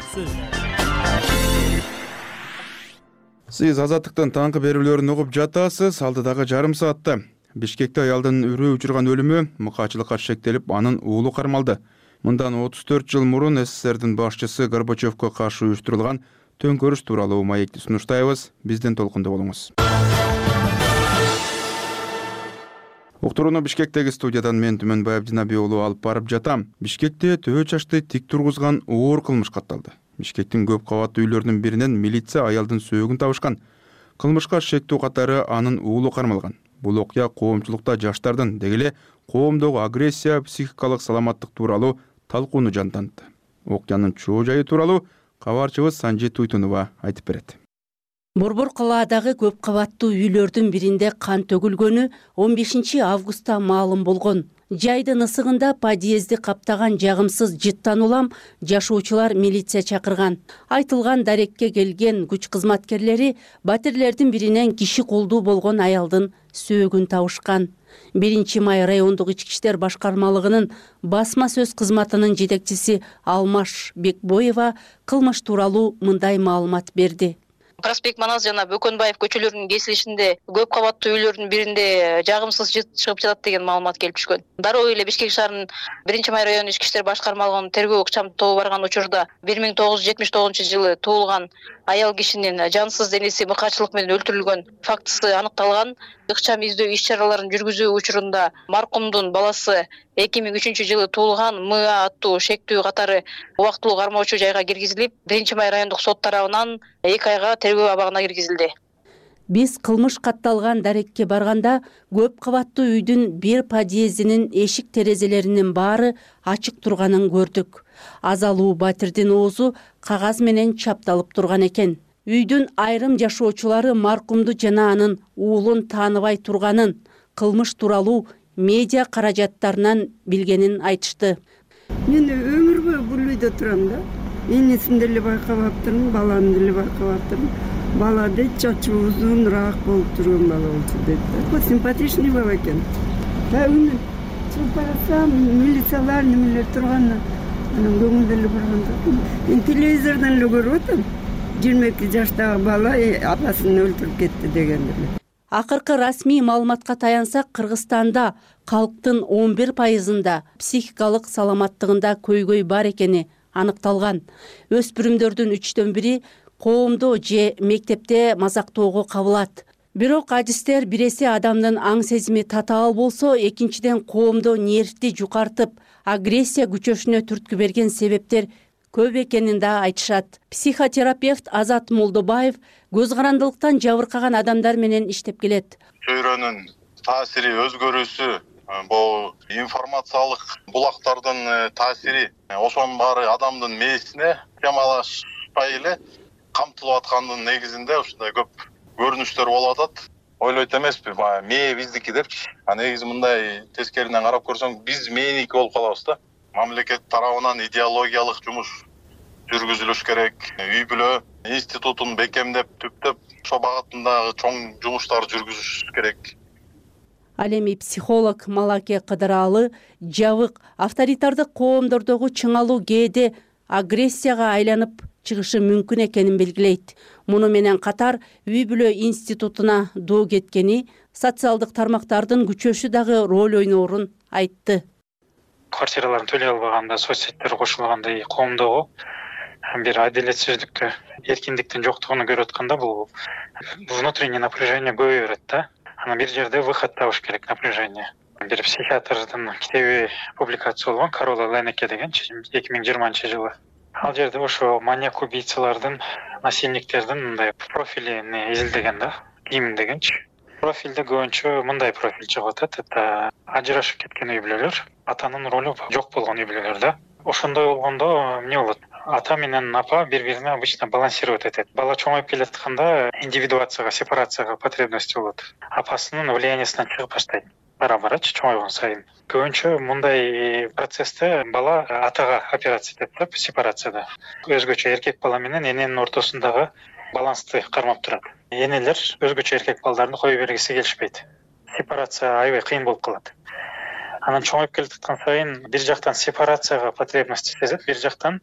Сиз Азаттыктын таңкы берүүлөрүн угуп жатасыз. Алдыдагы жарым саатта Бишкекте аялдын үрөө учурган өлүмү мыкаачылыкка шектелип, анын уулу кармалды. Мындан отуз төрт жыл мурун СССРдин башчысы Горбачевко каршы уюштурулган төңкөрүш тууралуу маекти сунуштайбыз. Бизден толкунда болуңуз. Уктурууну Бишкектеги студиядан мен Түмөнбай Абдинабий уулу алып барып жатам. Бишкекте төбө чачты тик тургузган оор кылмыш катталды. Бишкектин көп кабаттуу үйлөрүнүн биринен милиция аялдын сөөгүн табышкан. Кылмышка шектүү катары анын уулу кармалган. Бул окуя коомчулукта жаштардын, деги эле коомдогу агрессия, психикалык саламаттык тууралуу талкууну жантантты. Окуянын чоо жайы тууралуу кабарчыбыз Санжи Туйтунова айтып берет. Борбор калаадагы көп кабаттуу үйлөрдүн биринде кан төгүлгөнү он бешинчи августта маалым болгон. Жайдын ысыгында подъезди каптаган жагымсыз жыттан улам жашоочулар милиция чакырган. Айтылган дарекке келген күч кызматкерлери батирлердин биринен киши колдуу болгон аялдын сөөгүн табышкан. биринчи май райондук ички иштер башкармалыгынын басма сөз кызматынын жетекчиси Алмаш Бекбоева кылмыш тууралуу мындай маалымат берди. Проспект Манас жана Бөкөнбаев көчөлөрүнүн кесилишинде көп кабаттуу үйлөрдүн биринде жагымсыз жыт чыгып жатат деген маалымат келип түшкөн. Дароо эле Бишкек шаарынын биринчи май району ички иштер башкармалыгынын тергөө ыкчам тобу барган учурда бир миң тогуз жүз жетимиш тогузунчу жылы туулган аял кишинин жансыз денеси мыкаачылык менен өлтүрүлгөн фактысы аныкталган. Ыкчам издөө иш чараларын жүргүзүү учурунда маркумдун баласы эки миң үчүнчү жылы туулган МА аттуу шектүү катары убактылуу кармоочу жайга киргизилип, биринчи май райондук сот тарабынан эки айга тергөө абагына киргизилди. Биз кылмыш катталган дарекке барганда көп кабаттуу үйдүн бир подъездинин эшик терезелеринин баары ачык турганын көрдүк. Азалуу батирдин оозу кагаз менен чапталып турган экен. Үйдүн айрым жашоочулары маркумду жана анын уулун тааныбай турганын, кылмыш тууралуу медиа каражаттарынан билгенин айтышты. Мен өмүр бою бул үйдө турам да. Энесин деле байкабаптырмын, баланы деле байкабаптырмын. Бала дейт чачы узунураак болуп турган бала болчу дейт. Симпатичный бала экен. Бүгүн чыгып барсам, милициялар немелер турган, анан көңүл деле барганда. Мен телевизордон эле көрүп атам. жыйырма эки жаштагы бала апасын өлтүрүп кетти дегендер. Акыркы расмий маалыматка таянсак, Кыргызстанда калктын он бир пайызында психикалык саламаттыгында көйгөй бар экени аныкталган. Өспүрүмдөрдүн үчтөн бири коомдо же мектепте мазактоого кабылат. Бирок адистер биресе адамдын аң сезими татаал болсо, экинчиден коомдо нервди жукартып, агрессия күчөшүнө түрткү берген себептер көп экенин да айтышат. Психотерапевт Азат Молдобаев көз карандылыктан жабыркаган адамдар менен иштеп келет. Чөйрөнүн таасири, өзгөрүүсү, бул информациялык булактардын таасири, ошонун баары адамдын мээсине темалашпай эле камтылып аткандын негизинде ушундай көп көрүнүштөр болуп атат. Ойлойт эмеспи, баягы мээ биздики депчи. А негизи мындай тескеринен карап көрсөң, биз мээники болуп калабыз да. Мамлекет тарабынан идеологиялык жумуш жүргүзүлүш керек. Үй бүлө институтун бекемдеп, түптөп, ошо багытындагы чоң жумуштар жүргүзүш керек. Ал эми психолог Малаке Кыдыралы жабык авторитардык коомдордогу чыңалуу кээде агрессияга айланып чыгышы мүмкүн экенин белгилейт. Муну менен катар үй бүлө институтуна доо кеткени, социалдык тармактардын күчөшү дагы роль ойноорун айтты. Квартираларын төлөй албаганда соцсеттер кошулгандай коомдогу бир адилетсиздикти, эркиндиктин жоктугун көрүп атканда бул внутреннее напряжение көбөйө берет да. Анан бир жерде выход табыш керек напряжение. Бир психиатрдын китеби публикация болгон, Карола Ленеке деген, эки миң жыйырманчы жылы. Ал жерде ошо маньяк убийцалардын, насильниктердин мындай профилин изилдеген да, ким дегенчи. Профилде көбүнчө мындай профиль чыгып атат. Это ажырашып кеткен үй бүлөлөр, атанын ролу жок болгон үй бүлөлөр да. Ошондой болгондо эмне болот? Ата менен апа бири-бирине обычно балансировать этет. Бала чоңоюп келатканда индивидуацияга, сепарацияга потребности болот. Апасынын влияниясынан чыгып баштайт. Бара-барачы чоңойгон сайын. Көбүнчө мындай процессте бала атага операция этет да, сепарацияда. Өзгөчө эркек бала менен эненин ортосундагы балансты кармап турат. Энелер өзгөчө эркек балдарды кое бергиси келишпейт. Сепарация аябай кыйын болуп калат. Анан чоңоюп келаткан сайын бир жактан сепарацияга потребность сезет, бир жактан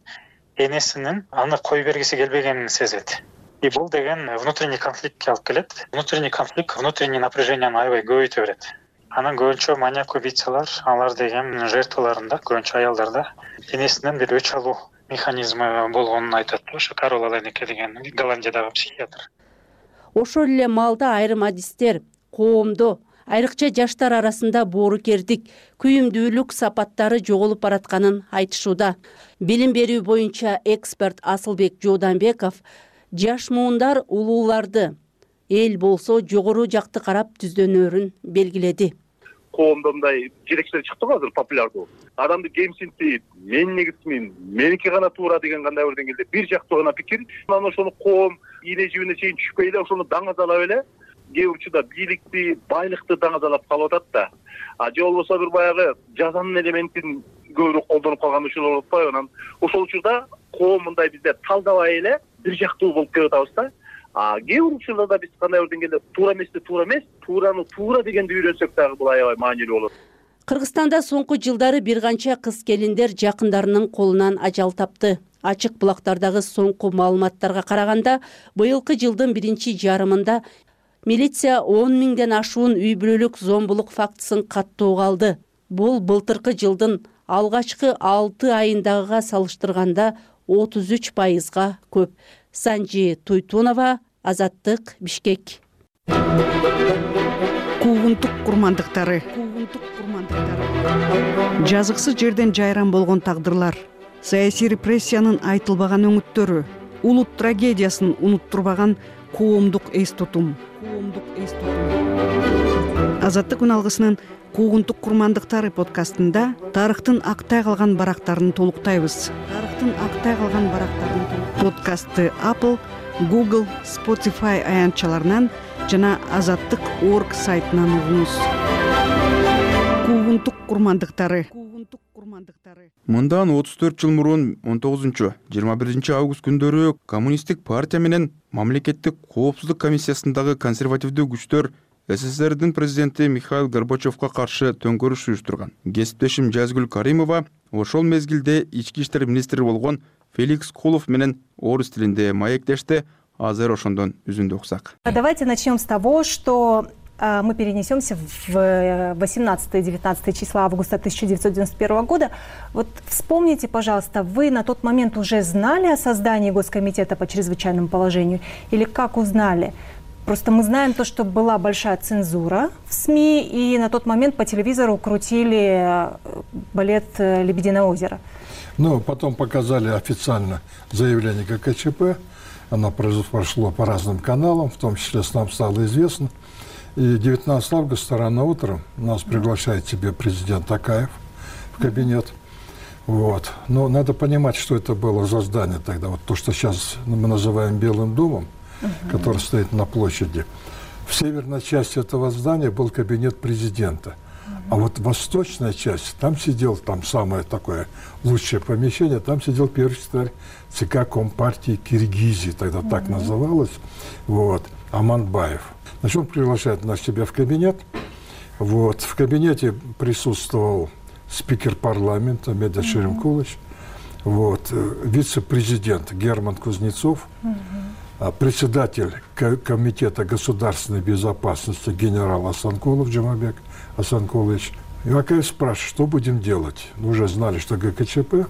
энесинин аны кое бергиси келбегенин сезет. И бул деген внутренний конфликтке алып келет. Внутренний конфликт, внутренний напряжениени аябай көбөйтө берет. Анан көбүнчө маньяк убийцалар, алар деген жертваларында, көбүнчө аялдарда энесинен бир өч алуу механизми болгонун айтат. Ошо Карола Ленеке деген Голландиядагы психиатр. Ошол эле маалда айрым адистер коомдо, айрыкча жаштар арасында боорукердик, күйүмдүүлүк сапаттары жоголуп баратканын айтышууда. Билим берүү боюнча эксперт Асылбек Жууданбеков жаш муундар улууларды, эл болсо жогору жакты карап түздөнөрүн белгиледи. Коомдо мындай жетекчилер чыкты го азыр популярдуу. Адамды кемсинтип, мен негизмин, меники гана туура деген кандай бир деңгээлде бир жактуу гана пикир. Анан ошону коом ийне жибине чейин түшпөй эле ошону даңазалап эле, кээ бир учурда бийликти, байлыкты даңазалап калып атат да. А же болбосо бир баягы жазанын элементин көбүрөөк колдонуп калган учурлар болуп атпайбы? Анан ошол учурда коом мындай бизде талдабай эле бир жактуу болуп келип атабыз да. А кээ бир учурларда биз кандай бир деңгээлде туура эмести туура эмес, туураны туура дегенди үйрөнсөк дагы бул аябай маанилүү болот. Кыргызстанда соңку жылдары бир канча кыз келиндер жакындарынын колунан ажал тапты. Ачык булактардагы соңку маалыматтарга караганда, быйылкы жылдын биринчи жарымында милиция он миңден ашуун үй бүлөлүк зомбулук фактысын каттоого алды. Бул былтыркы жылдын алгачкы алты айындагыга салыштырганда отуз үч пайызга көп. Санжи Туйтунова, Азаттык, Бишкек. Куугунтук курмандыктары. Жазыксыз жерден жайран болгон тагдырлар, саясий репрессиянын айтылбаган өңүттөрү, улут трагедиясын унуттурбаган коомдук эс тутум. Азаттык күн алгысынын Куугунтук курмандыктары подкастында тарыхтын актай калган барактарын толуктайбыз. Тарыхтын актай калган барактарын подкастты Apple, Google, Spotify аянтчаларынан жана азаттык точка орг сайтынан угуңуз. Куугунтук курмандыктары. Мындан отуз төрт жыл мурун он тогузунчу жыйырма биринчи август күндөрү Коммунисттик партия менен Мамлекеттик коопсуздук комиссиясындагы консервативдүү күчтөр СССРдин президенти Михаил Горбачевго каршы төңкөрүш уюштурган. Кесиптешим Жазгүл Каримова ошол мезгилде ички иштер министри болгон Феликс Кулов менен орус тилинде маектешти. Азыр ошондон үзүндү уксак. Давайте начнем с того, что мы перенесемся в восемнадцатое-девятнадцатое числа августа тысяча девятьсот девяносто первого года. Вот вспомните, пожалуйста, вы на тот момент уже знали о создании Госкомитета по чрезвычайному положению или как узнали? Просто мы знаем то, что была большая цензура в СМИ, и на тот момент по телевизору крутили балет «Лебединое озеро». Ну, потом показали официально заявление ГКЧП. Оно прошло по разным каналам, в том числе нам стало известно. И девятнадцатого августа рано утром нас приглашает себе президент Токаев в кабинет. Вот. Но надо понимать, что это было за здание тогда. Вот то, что сейчас мы называем Белым домом, uh-huh. который стоит на площади. В северной части этого здания был кабинет президента. Uh-huh. А вот восточная часть, там сидел, там самое такое лучшее помещение, там сидел первый секретарь ЦК Компартии Киргизии, тогда uh-huh. так называлось, вот, Аманбаев. Значит, он приглашает нас себя в кабинет. Вот. В кабинете присутствовал спикер парламента Медет mm-hmm. Шеремкулович, вот, вице-президент Герман Кузнецов, mm-hmm. председатель комитета государственной безопасности генерал Асанкулов Джамабек Асанкулович. И Акаев спрашивает, что будем делать. Мы уже знали, что ГКЧП,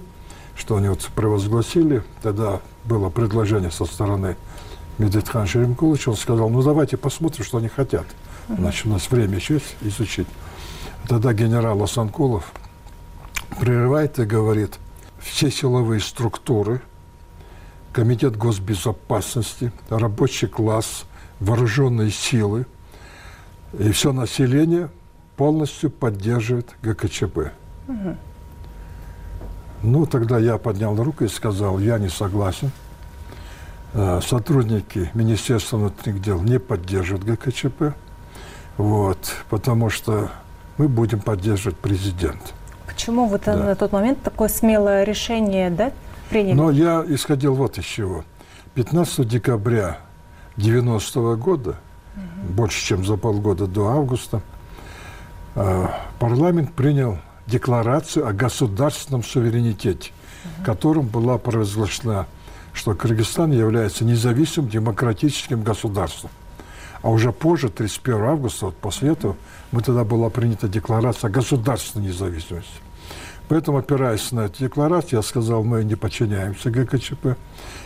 что они вот провозгласили. Тогда было предложение со стороны Медетхан Шеремкулович, он сказал, ну давайте посмотрим, что они хотят. Значит, у нас время еще есть изучить. Тогда генерал Асанкулов прерывает и говорит, все силовые структуры, Комитет госбезопасности, рабочий класс, вооруженные силы и все население полностью поддерживает ГКЧП. Угу. Ну, тогда я поднял руку и сказал, я не согласен. Сотрудники Министерства внутренних дел не поддерживают ГКЧП, вот, потому что мы будем поддерживать президента. Почему вы да. на тот момент такое смелое решение, да, приняли? Но я исходил вот из чего. пятнадцатого декабря девяностого года, угу. больше чем за полгода до августа, парламент принял декларацию о государственном суверенитете, угу. которым была провозглашена, что Кыргызстан является независимым демократическим государством. А уже позже, тридцать первого августа, вот после этого, мы тогда была принята декларация о государственной независимости. Поэтому, опираясь на эту декларацию, я сказал, мы не подчиняемся ГКЧП.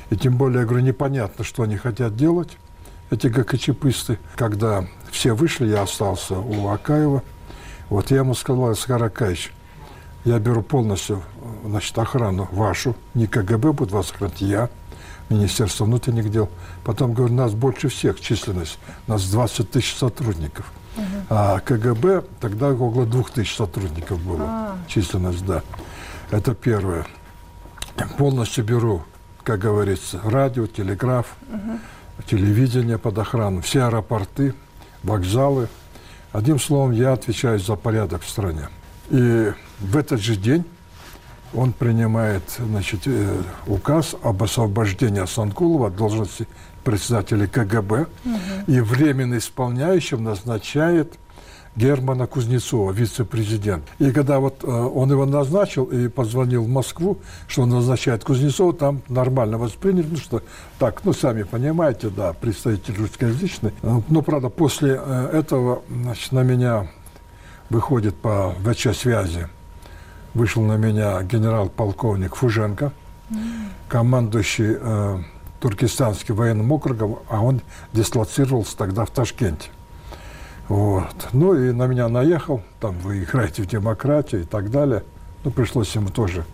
И тем более, я говорю, непонятно, что они хотят делать, эти ГКЧПисты. Когда все вышли, я остался у Акаева. Вот я ему сказал, Аскар Акаевич, я беру полностью, значит, охрану вашу, не КГБ будет вас охранять, я, Министерство внутренних дел. Потом, говорю, нас больше всех численность, нас двадцать тысяч сотрудников. Uh-huh. А КГБ тогда около двух тысяч сотрудников было, uh-huh. численность, да. Это первое. Полностью беру, как говорится, радио, телеграф, uh-huh. телевидение под охрану, все аэропорты, вокзалы. Одним словом, я отвечаю за порядок в стране. И в этот же день он принимает, значит, указ об освобождении Асанкулова от должности председателя КГБ, угу. и временно исполняющим назначает Германа Кузнецова, вице-президент. И когда вот он его назначил и позвонил в Москву, что он назначает Кузнецова, там нормально восприняли, ну что так, ну сами понимаете, да, представитель русскоязычный. Но, правда, после этого, значит, на меня выходит по ВЧ-связи, вышел на меня генерал-полковник Фуженко, mm. командующий э, Туркестанским военным округом, а он дислоцировался тогда в Ташкенте. Вот. Ну и на меня наехал, там вы играете в демократию и так далее. Ну, пришлось ему тоже.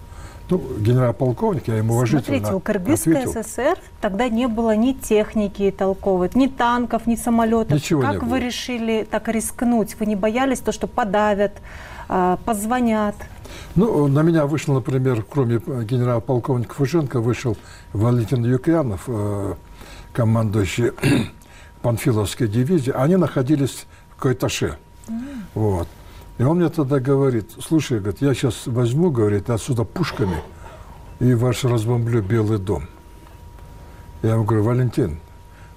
Ну, генерал-полковник, я ему уважительно Смотрите, у Кыргызской ССР тогда не было ни техники толковой, ни танков, ни самолетов. Ничего как не вы было. решили так рискнуть? Вы не боялись то, что подавят, позвонят? Ну, на меня вышел, например, кроме генерал-полковника Фуженко, вышел Валентин Юкьянов, э, командующий Панфиловской дивизии. Они находились в Койташе. Mm. Вот. И он мне тогда говорит, слушай, говорит, я сейчас возьму, говорит, отсюда пушками и ваш разбомблю Белый дом. Я ему говорю, Валентин,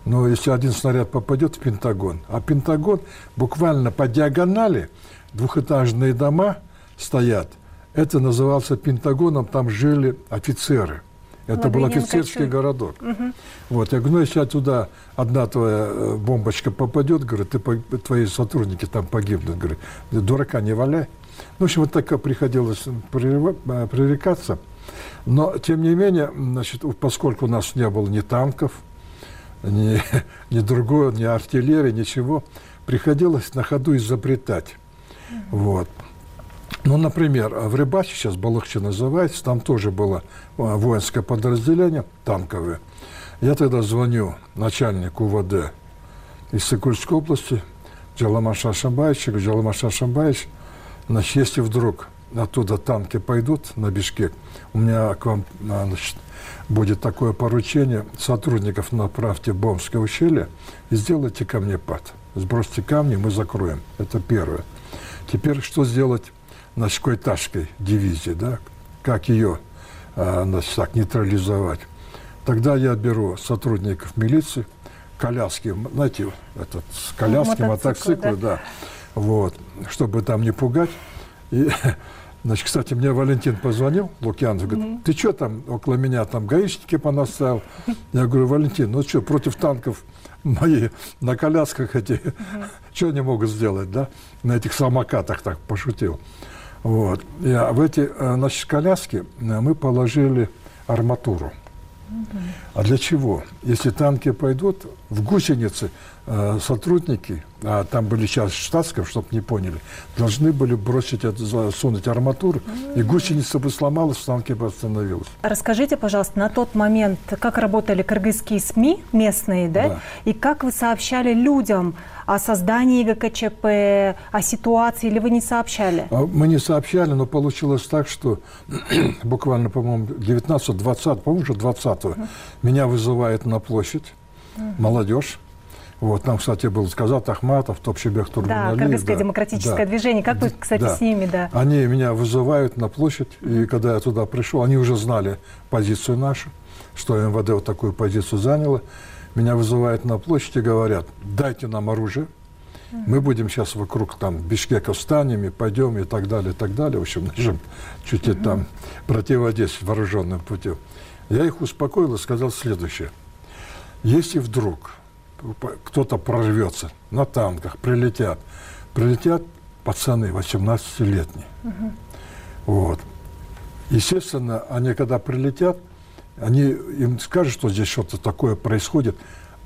ну, если один снаряд попадет в Пентагон, а Пентагон буквально по диагонали, двухэтажные дома стоят, это назывался Пентагоном, там жили офицеры. Это был офицерский городок. Угу. Вот, я говорю, ну, если туда одна твоя бомбочка попадет, говорю, ты, твои сотрудники там погибнут. Говорю, дурака не валяй. Ну, в общем, вот так приходилось пререкаться. Но, тем не менее, значит, поскольку у нас не было ни танков, ни, ни другого, ни артиллерии, ничего, приходилось на ходу изобретать. Вот. Ну, например, в Рыбаче, сейчас Балыкчи называется, там тоже было воинское подразделение, танковое. Я тогда звоню начальнику УВД из Сыкульской области, Джаламаша Ашамбаевичу, говорю, Джаламаша Ашамбаевич, значит, если вдруг оттуда танки пойдут на Бишкек, у меня к вам, значит, будет такое поручение, сотрудников направьте в Бомское ущелье и сделайте камнепад. Сбросьте камни, мы закроем. Это первое. Теперь что сделать значит, Койташской дивизии, да? Как ее значит, так, нейтрализовать? Тогда я беру сотрудников милиции, коляски, знаете, этот, коляски, ну, мотоциклы, да. да, вот, чтобы там не пугать. И, значит, кстати, мне Валентин позвонил, Лукьянов, говорит, mm-hmm. ты что там около меня там гаишники понаставил? Я говорю, Валентин, ну что, против танков мои на колясках эти, mm-hmm. что они могут сделать, да? На этих самокатах так пошутил. Вот. И в эти, значит, коляски мы положили арматуру. Mm-hmm. А для чего? Если танки пойдут, в гусеницы э, сотрудники, а там были часть штатских, чтобы не поняли, должны были бросить, засунуть арматуру, mm-hmm. и гусеница бы сломалась, танки бы остановилась. Расскажите, пожалуйста, на тот момент, как работали кыргызские СМИ местные, да? Да. И как вы сообщали людям о создании ГКЧП, о ситуации, или вы не сообщали? Мы не сообщали, но получилось так, что буквально, по-моему, девятнадцатого-двадцатого, по-моему, уже двадцатого, uh-huh. меня вызывает на площадь uh-huh. молодежь. Вот, там, кстати, был Сказат Ахматов, Топчебек Тургуналиев. Да, Кыргызское да, демократическое да, движение. Как вы, кстати, да. с ними, да? Они меня вызывают на площадь, и когда я туда пришел, они уже знали позицию нашу, что МВД вот такую позицию заняло. Меня вызывают на площадь и говорят, дайте нам оружие, mm-hmm. мы будем сейчас вокруг там Бишкека встанем и пойдем и так далее, и так далее. В общем, начнем чуть ли mm-hmm. там противодействовать вооруженным путем. Я их успокоил и сказал следующее. Если вдруг кто-то прорвется на танках, прилетят, прилетят пацаны восемнадцатилетние. Mm-hmm. Вот. Естественно, они когда прилетят, они им скажут, что здесь что-то такое происходит,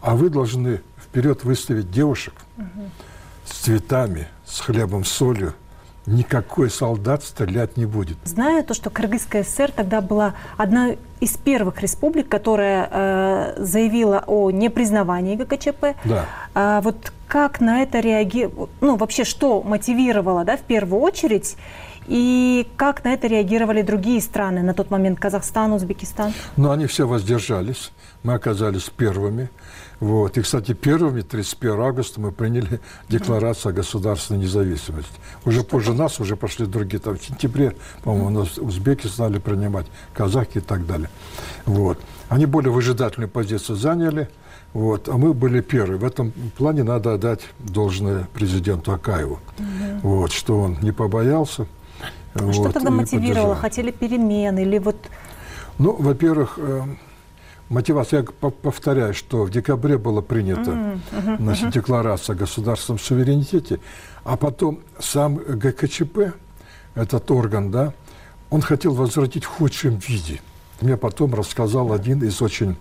а вы должны вперед выставить девушек угу. с цветами, с хлебом, с солью. Никакой солдат стрелять не будет. Знаю то, что Кыргызская ССР тогда была одна из первых республик, которая э, заявила о непризнавании ГКЧП. Да. А вот как на это реагировало, ну вообще что мотивировало, да, в первую очередь? И как на это реагировали другие страны на тот момент, Казахстан, Узбекистан? Ну, они все воздержались. Мы оказались первыми. Вот. И, кстати, первыми, тридцать первого августа, мы приняли декларацию о государственной независимости. Уже Что позже это? Нас уже пошли другие. Там, в сентябре, по-моему, у нас узбеки стали принимать, казахи и так далее. Вот. Они более выжидательную позицию заняли. Вот. А мы были первые. В этом плане надо отдать должное президенту Акаеву. Угу. Вот, что он не побоялся. А что вот, тогда мотивировало? Поддержал. Хотели перемен или вот... Ну, во-первых, э, мотивация, я повторяю, что в декабре была принята mm -hmm. значит, декларация о государственном суверенитете, а потом сам ГКЧП, этот орган, да, он хотел возвратить в худшем виде. Мне потом рассказал один из очень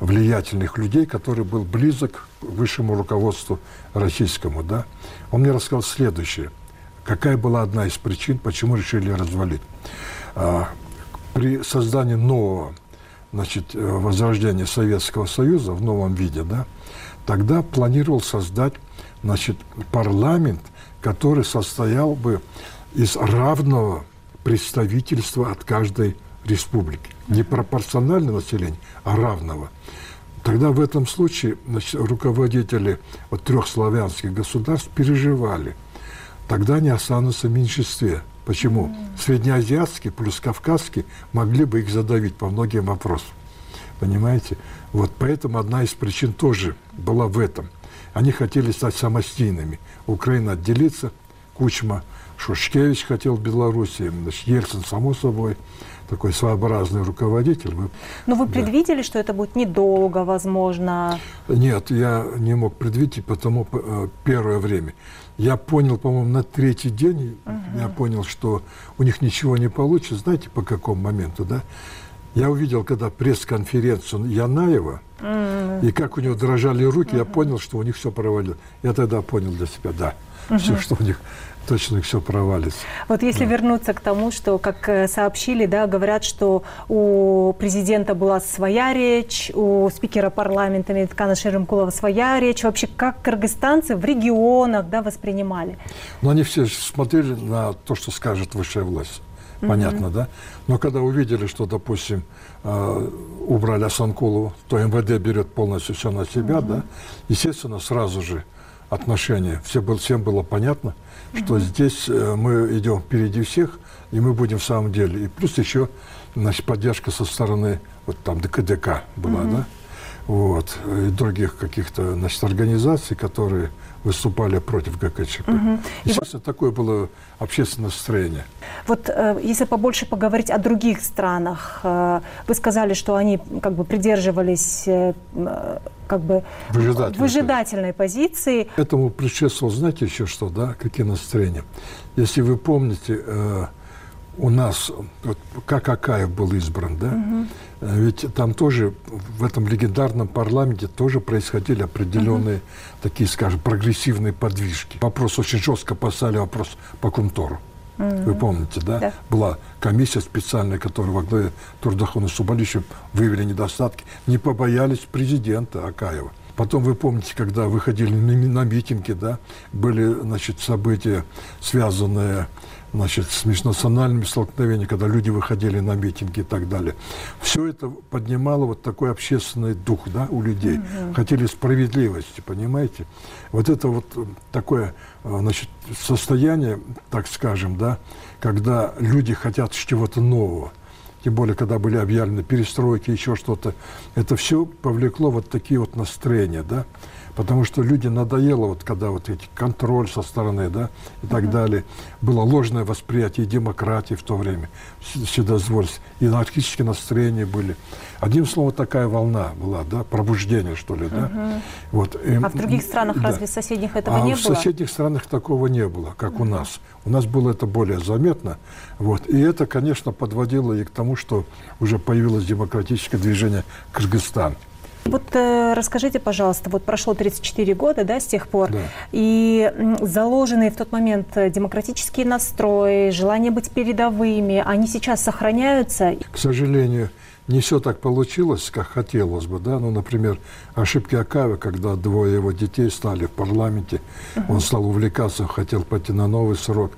влиятельных людей, который был близок к высшему руководству российскому, да. Он мне рассказал следующее. Какая была одна из причин, почему решили развалить? А, при создании нового, значит, возрождения Советского Союза в новом виде, да, тогда планировал создать, значит, парламент, который состоял бы из равного представительства от каждой республики. Не пропорционального населения, а равного. Тогда в этом случае, значит, руководители вот, трех славянских государств переживали. Тогда они останутся в меньшинстве. Почему? Mm. Среднеазиатские плюс кавказские могли бы их задавить по многим вопросам. Понимаете? Вот поэтому одна из причин тоже была в этом. Они хотели стать самостийными. Украина отделиться, Кучма, Шушкевич хотел в Белоруссии, Ельцин, само собой. такой своеобразный руководитель. Но вы предвидели, да. что это будет недолго, возможно? Нет, я не мог предвидеть, потому первое время. Я понял, по-моему, на третий день, uh-huh. я понял, что у них ничего не получится. Знаете, по какому моменту, да? Я увидел, когда пресс-конференцию Янаева, uh-huh. и как у него дрожали руки, uh-huh. я понял, что у них все провалилось. Я тогда понял для себя, да, uh-huh. все, что у них точно все провалится. Вот если да. вернуться к тому, что, как сообщили, да, говорят, что у президента была своя речь, у спикера парламента Медеткана Шеримкулова своя речь. Вообще, как кыргызстанцы в регионах, да, воспринимали? Ну, они все смотрели на то, что скажет высшая власть. Понятно, mm-hmm. да? Но когда увидели, что, допустим, убрали Асанкулову, то эм вэ дэ берет полностью все на себя, mm-hmm. да, естественно, сразу же отношения, все было, всем было понятно, что mm-hmm. здесь мы идем впереди всех, и мы будем в самом деле. И плюс еще, значит, поддержка со стороны, вот там Дэ ка дэ ка была, mm-hmm. да, вот, и других каких-то, значит, организаций, которые выступали против гэ ка че пэ. Угу. Естественно, и... такое было общественное настроение. Вот э, если побольше поговорить о других странах, э, вы сказали, что они как бы придерживались э, как бы выжидательной, выжидательной позиции. Этому предшествовало, знаете, еще что, да, какие настроения? Если вы помните, э, у нас, вот, как Акаев был избран, да, угу. ведь там тоже, в этом легендарном парламенте тоже происходили определенные, угу. такие, скажем, прогрессивные подвижки. Вопрос очень жестко поставили, вопрос по Кумтору. Угу. Вы помните, да? да? Была комиссия специальная, которая во главе Турдахуна Субалича выявили недостатки. Не побоялись президента Акаева. Потом вы помните, когда выходили на митинги, да, были, значит, события, связанные, значит, с межнациональными столкновениями, когда люди выходили на митинги и так далее. Все это поднимало вот такой общественный дух, да, у людей. Mm-hmm. Хотели справедливости, понимаете? Вот это вот такое, значит, состояние, так скажем, да, когда люди хотят чего-то нового. Тем более, когда были объявлены перестройки, еще что-то. Это все повлекло вот такие вот настроения, да. Потому что люди надоело, вот когда вот эти контроль со стороны, да, и так uh-huh. далее. Было ложное восприятие демократии в то время, вседозвольства, и анархические настроения были. Одним словом, такая волна была, да, пробуждение, что ли, да. Uh-huh. Вот. И, а в других странах, да. разве соседних этого а не было? А в соседних странах такого не было, как uh-huh. у нас. У нас было это более заметно. Вот. И это, конечно, подводило и к тому, что уже появилось демократическое движение Кыргызстан. Вот э, расскажите, пожалуйста, вот прошло тридцать четыре года, да, с тех пор, да. и заложенные в тот момент демократические настрои, желание быть передовыми, они сейчас сохраняются? К сожалению, не все так получилось, как хотелось бы, да, ну, например, ошибки Акаева, когда двое его детей стали в парламенте, uh-huh. он стал увлекаться, хотел пойти на новый срок,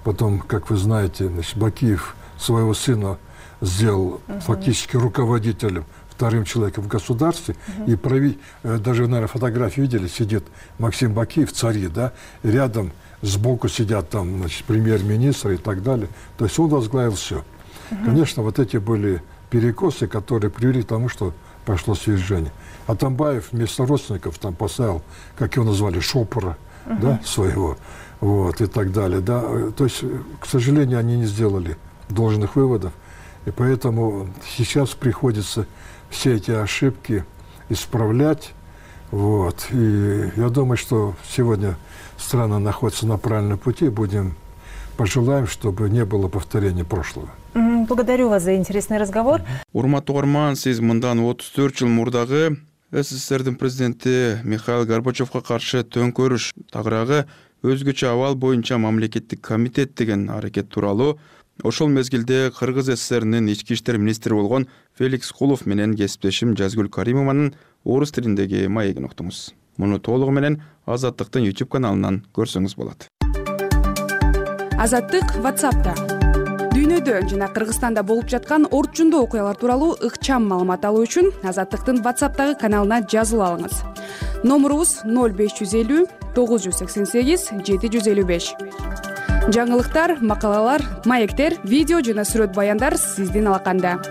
потом, как вы знаете, значит, Бакиев своего сына сделал uh-huh. фактически руководителем, вторым человеком в государстве, uh-huh. и прави... даже, наверное, фотографии видели, сидит Максим Бакиев, цари, да, и рядом сбоку сидят там, значит, премьер-министр и так далее. То есть он возглавил все. Uh-huh. Конечно, вот эти были перекосы, которые привели к тому, что пошло свержение. Атамбаев вместо родственников там поставил, как его назвали, шопора, uh-huh. да, своего, вот, и так далее, да. То есть, к сожалению, они не сделали должных выводов, и поэтому сейчас приходится все эти ошибки исправлять. Вот. И я думаю, что сегодня страна находится на правильном пути. Будем пожелаем, чтобы не было повторения прошлого. Благодарю вас за интересный разговор. Урматтуу угарман, сиз мындан отуз төрт жыл мурдагы эс эс эс эрдин президенти Михаил Горбачевго каршы төңкөрүш тагыраагы өзгөчө абал боюнча мамлекеттик комитет деген аракет тууралуу ошол мезгилде Кыргыз эс эс эринин ички иштер министри болгон Феликс Кулов менен кесиптешим Жазгүл Каримованын орус тилиндеги маегин уктуңуз. Муну толугу менен Азаттыктын YouTube каналынан көрсөңүз болот. Азаттык WhatsApp'та. Дүйнөдө жана Кыргызстанда болуп жаткан орчундуу окуялар тууралуу ыкчам маалымат алуу үчүн Азаттыктын WhatsApp'тагы каналына жазылып алыңыз. Номурубуз ноль беш жүз элүү тогуз жүз сексен сегиз жети жүз элүү беш. Жаңылыктар, макалалар, маектер, видео жана сүрөт баяндар сиздин алаканда.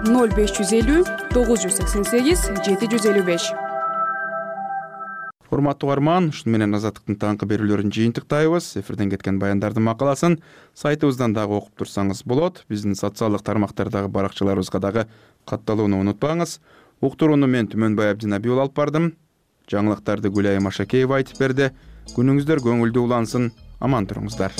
ноль беш жүз элүү тогуз жүз сексен сегиз жети жүз элүү беш. урматтуу угарман, ушуну менен Азаттыктын таңкы берүүлөрүн жыйынтыктайбыз. Эфирден кеткен баяндардын макаласын сайтыбыздан дагы окуп турсаңыз болот. Биздин социалдык тармактардагы баракчаларыбызга дагы катталууну унутпаңыз. Уктурууну мен Түмөнбай Абдинабий алып бардым. Жаңылыктарды Гүлайым Машакеева айтып берди. Күнүңүздөр көңүлдүү улансын. Аман туруңуздар.